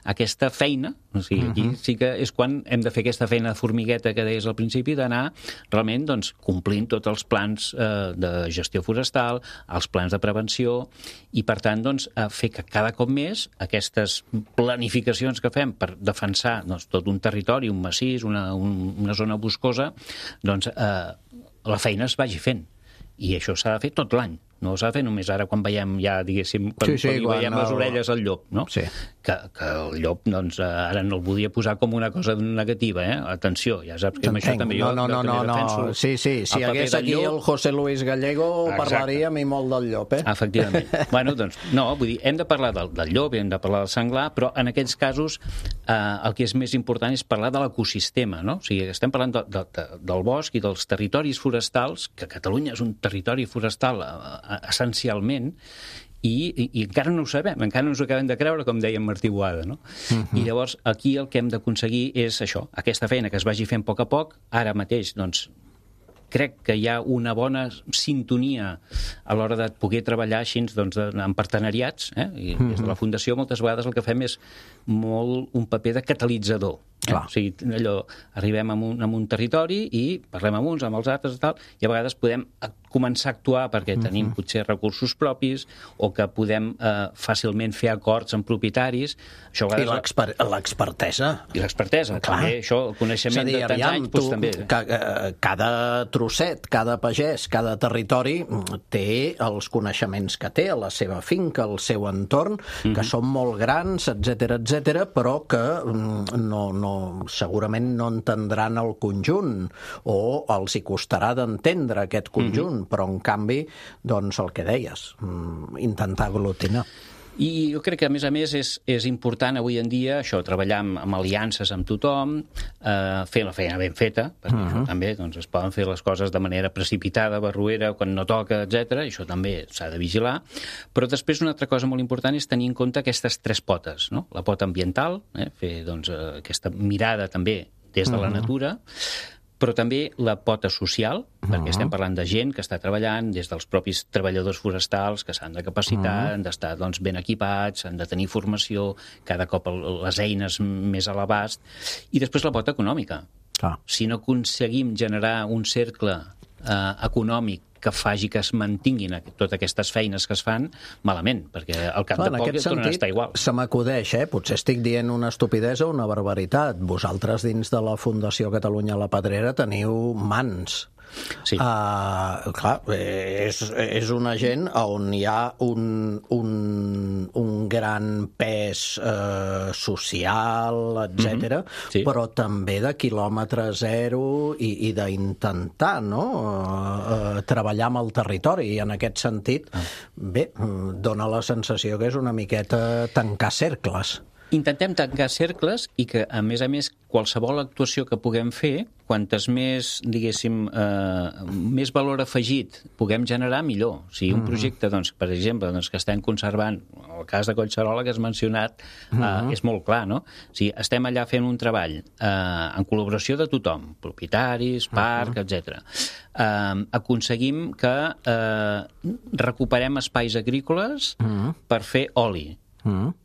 aquesta feina, o sigui, aquí sí que és quan hem de fer aquesta feina de formigueta que deies al principi, d'anar realment complint tots els plans de gestió forestal, els plans de prevenció, i per tant fer que cada cop més aquestes planificacions que fem per defensar tot un territori, un massís, una zona boscosa, la feina es vagi fent. I això s'ha de fer tot l'any. No s'ha de fer només ara quan veiem ja, diguéssim, quan veiem les orelles al llop, no? Que el llop, ara no el volia posar com una cosa negativa, Atenció, ja saps que amb això també jo també defenso. Sí, si hagués aquí el José Luis Gallego parlaríem i molt del llop, Efectivament. Bueno, no, vull dir, hem de parlar del llop, hem de parlar del senglar, però en aquests casos el que és més important és parlar de l'ecosistema, no? O sigui, estem parlant del bosc i dels territoris forestals, que Catalunya és un territori forestal essencialment, i encara no ho sabem, encara no ens ho acabem de creure, com deia Martí Boada, no? I llavors aquí el que hem d'aconseguir és això, aquesta feina que es vagi fent a poc, ara mateix, crec que hi ha una bona sintonia a l'hora de poder treballar així en partenariats, i des de la Fundació moltes vegades el que fem és molt un paper de catalitzador. O sigui, arribem a un territori i parlem amb uns, amb els altres i tal, i a vegades podem començar a actuar perquè tenim potser recursos propis o que podem fàcilment fer acords amb propietaris. I l'expertesa. I l'expertesa, també, això, el coneixement de tants anys, doncs també. Cada trosset, cada pagès, cada territori té els coneixements que té a la seva finca, al seu entorn, que són molt grans, etc, però que segurament no entendran el conjunt o els hi costarà d'entendre aquest conjunt, però en canvi, el que deies, intentar aglutinar. I jo crec que, a més, és important avui en dia això, treballar amb aliances amb tothom, fer la feina ben feta, perquè això també es poden fer les coses de manera precipitada, barruera, quan no toca, etc. I això també s'ha de vigilar. Però després una altra cosa molt important és tenir en compte aquestes tres potes, no? La pota ambiental, fer aquesta mirada també des de la natura, però també la pota social, perquè estem parlant de gent que està treballant, des dels propis treballadors forestals, que s'han de capacitar, han d'estar ben equipats, han de tenir formació, cada cop les eines més a l'abast, i després la pota econòmica. Si no aconseguim generar un cercle econòmic que faci que es mantinguin totes aquestes feines que es fan, malament, perquè al cap de poc tornen a estar igual. Se m'acudeix, potser estic dient una estupidesa o una barbaritat. Vosaltres dins de la Fundació Catalunya La Pedrera teniu mans. Sí. Clar, és una gent on hi ha un gran pes social, etc, però també de quilòmetre zero i d'intentar treballar amb el territori, i en aquest sentit dona la sensació que és una miqueta tancar cercles. Intentem tancar cercles i que, a més, qualsevol actuació que puguem fer, quantes més, diguéssim, més valor afegit puguem generar, millor. O sigui, un projecte, per exemple, que estem conservant, el cas de Collserola que has mencionat, és molt clar, no? O sigui, estem allà fent un treball en col·laboració de tothom, propietaris, parc, etc. Aconseguim que recuperem espais agrícoles per fer oli.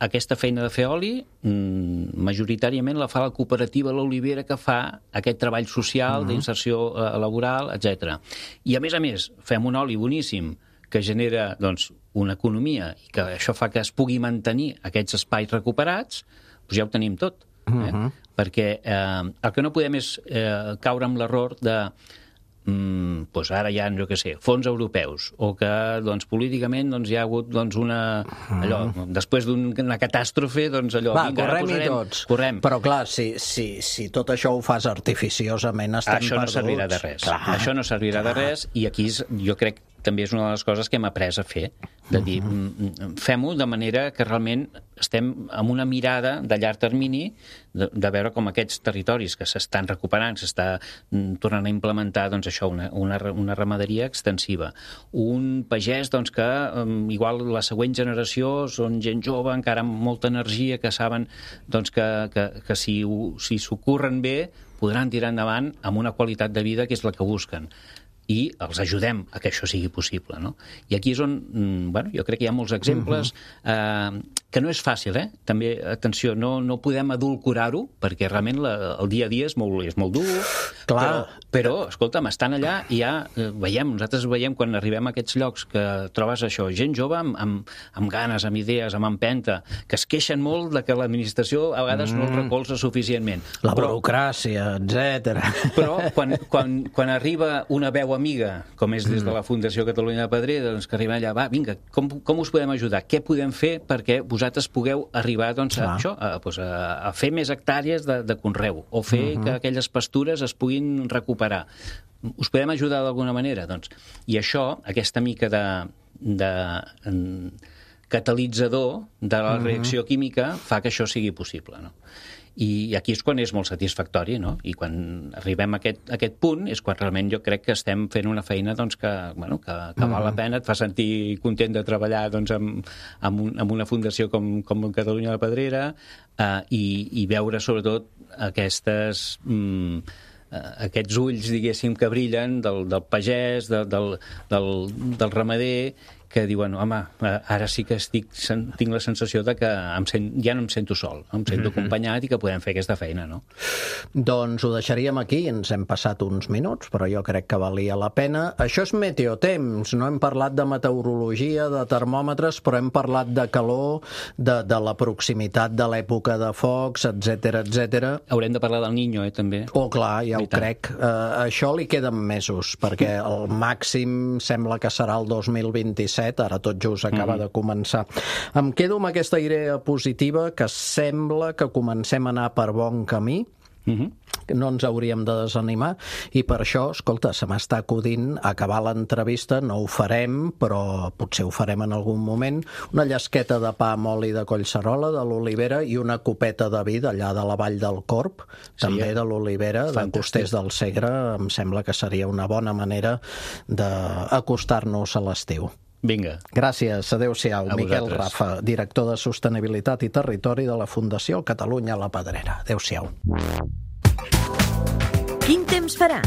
Aquesta feina de fer oli majoritàriament la fa la cooperativa L'Olivera, que fa aquest treball social d'inserció laboral, etc. I a més fem un oli boníssim que genera una economia i que això fa que es pugui mantenir aquests espais recuperats, doncs ja ho tenim tot. Perquè el que no podem és caure en l'error de ara hi ha, jo què sé, fons europeus, o que políticament hi ha hagut després d'una catàstrofe, correm i tots. Però clar, si tot això ho fas artificiosament, estem perduts. Això no servirà de res. Això no servirà de res, i aquí jo crec també és una de les coses que hem après a fer, de dir, fem-ho de manera que realment estem amb una mirada de llarg termini de veure com aquests territoris que s'estan recuperant, s'està tornant a implementar, doncs això, una ramaderia extensiva. Un pagès, doncs, que igual la següent generació són gent jove, encara amb molta energia, que saben, doncs, que si s'ho curren bé, podran tirar endavant amb una qualitat de vida que és la que busquen. I els ajudem a que això sigui possible, no? I aquí és on, jo crec que hi ha molts exemples, que no és fàcil, també, atenció, no podem adulcorar-ho, perquè realment el dia a dia és molt dur, però, escolta'm, estan allà i ja nosaltres veiem quan arribem a aquests llocs que trobes això, gent jove amb ganes, amb idees, amb empenta, que es queixen molt de que l'administració a vegades no els recolza suficientment. La burocràcia, etc. Però quan arriba una veu amiga, com és des de la Fundació Catalunya de Pedrera, doncs que arriben allà, va, vinga, com us podem ajudar? Què podem fer perquè vosaltres pugueu arribar doncs, a fer més hectàrees de conreu, o fer que aquelles pastures es puguin recuperar? Us podem ajudar d'alguna manera? Doncs, i això, aquesta mica de catalitzador de la reacció química fa que això sigui possible, no? I aquí és quan és molt satisfactori, no? I quan arribem a aquest punt és quan realment jo crec que estem fent una feina doncs, que val la pena, et fa sentir content de treballar doncs, amb una fundació com Catalunya de Pedrera i veure sobretot aquests ulls, diguéssim, que brillen del pagès, del ramader, que diuen, home, ara sí que tinc la sensació de que ja no em sento sol, em sento acompanyat i que podem fer aquesta feina, no? Doncs ho deixaríem aquí, ens hem passat uns minuts, però jo crec que valia la pena. Això és Meteotemps, no hem parlat de meteorologia, de termòmetres, però hem parlat de calor, de la proximitat de l'època de focs, etc. Haurem de parlar del Niño, també. Oh, clar, ja ho crec. Això li queden mesos, perquè el màxim sembla que serà el 2027, ara tot just acaba de començar. Em quedo amb aquesta idea positiva que sembla que comencem a anar per bon camí, no ens hauríem de desanimar, i per això, escolta, se m'està acudint acabar l'entrevista, no ho farem, però potser ho farem en algun moment, una llesqueta de pa amb oli de collserola de l'Olivera i una copeta de vi d'allà de la Vall del Corb, també de l'Olivera, de Costers del Segre. Em sembla que seria una bona manera d'acostar-nos a l'estiu. Vinga. Gràcies, adéu-siau. Miquel Rafa, director de Sostenibilitat i Territori de la Fundació Catalunya La Pedrera. Adéu-siau. Quin temps farà?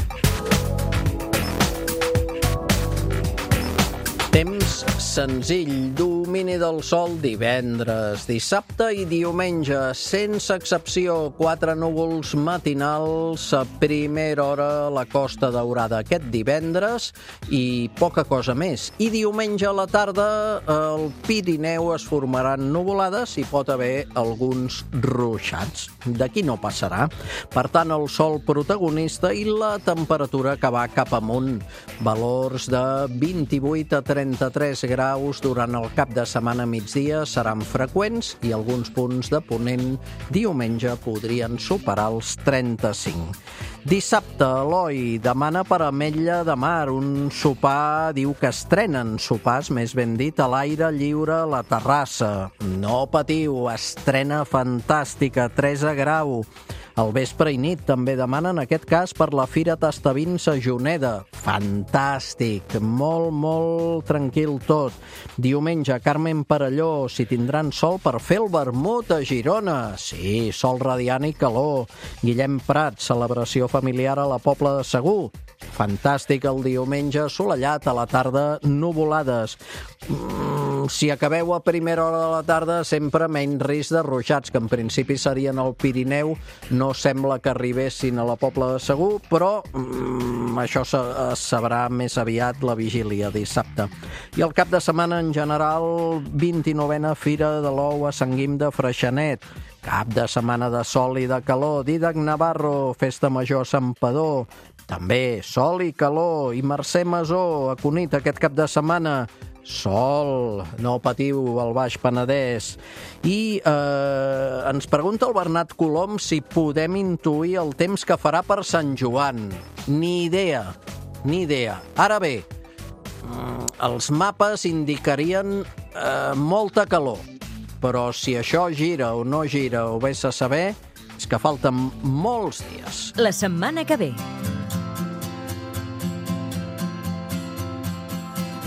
Temps senzill, domini del sol divendres, dissabte i diumenge, sense excepció, 4 núvols matinals a primera hora a la Costa Daurada aquest divendres i poca cosa més. I diumenge a la tarda al Pirineu es formaran nuvolades i pot haver alguns ruixats. D'aquí no passarà. Per tant, el sol protagonista i la temperatura que va cap amunt. Valors de 28 a 33 graus durant el cap de setmana a migdia seran freqüents i alguns punts de ponent diumenge podrien superar els 35. Dissabte, Eloi demana per Ametlla de Mar un sopar, diu que estrenen sopars, més ben dit, a l'aire lliure a la terrassa. No patiu, estrena fantàstica, 3 grau. Al vespre i nit també demanen, en aquest cas, per la Fira Tastavins a Juneda. Fantàstic, molt tranquil tot. Diumenge, Carmen Perelló, si tindran sol per fer el vermut a Girona. Sí, sol radiant i calor. Guillem Prat, celebració familiar a la Pobla de Segur. Fantàstic el diumenge, assolellat, a la tarda, nuvolades. Si acabeu a primera hora de la tarda, sempre menys risc de ruixats, que en principi serien al Pirineu. No sembla que arribessin a la Pobla de Segur, però això es sabrà més aviat la vigília dissabte. I el cap de setmana, en general, 29a Fira de l'Ou a Sant Guim de Freixenet. Cap de setmana de sol i de calor. Dídac Navarro, Festa Major a Santpedor. També sol i calor. I Mercè Masó, a Cunit, aquest cap de setmana. Sol, no patiu, al Baix Penedès. I ens pregunta el Bernat Colom si podem intuir el temps que farà per Sant Joan. Ni idea. Ara bé, Els mapes indicarien molta calor, però si això gira o no gira o vés a saber, és que falten molts dies. La setmana que ve.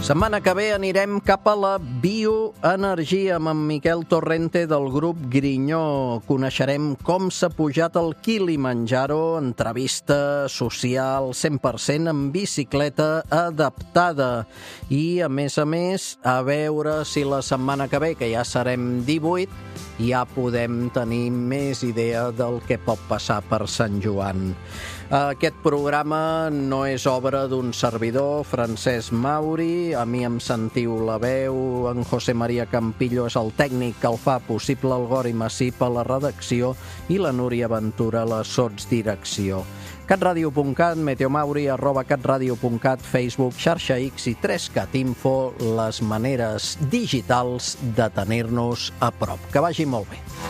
Setmana que ve anirem cap a la bioenergia amb en Miquel Torrente del grup Grinyó. Coneixerem com s'ha pujat el Kilimanjaro, entrevista social 100% en bicicleta adaptada. I, a més, a veure si la setmana que ve, que ja serem 18, ja podem tenir més idea del que pot passar per Sant Joan. Aquest programa no és obra d'un servidor, Francesc Mauri. A mi em sentiu la veu, en José María Campillo és el tècnic que el fa possible, el Gori Massip a la redacció i la Núria Ventura a la sotsdirecció. catradio.cat, meteomauri, @catradio.cat, Facebook, xarxa X i 3Cat Info, les maneres digitals de tenir-nos a prop. Que vagi molt bé.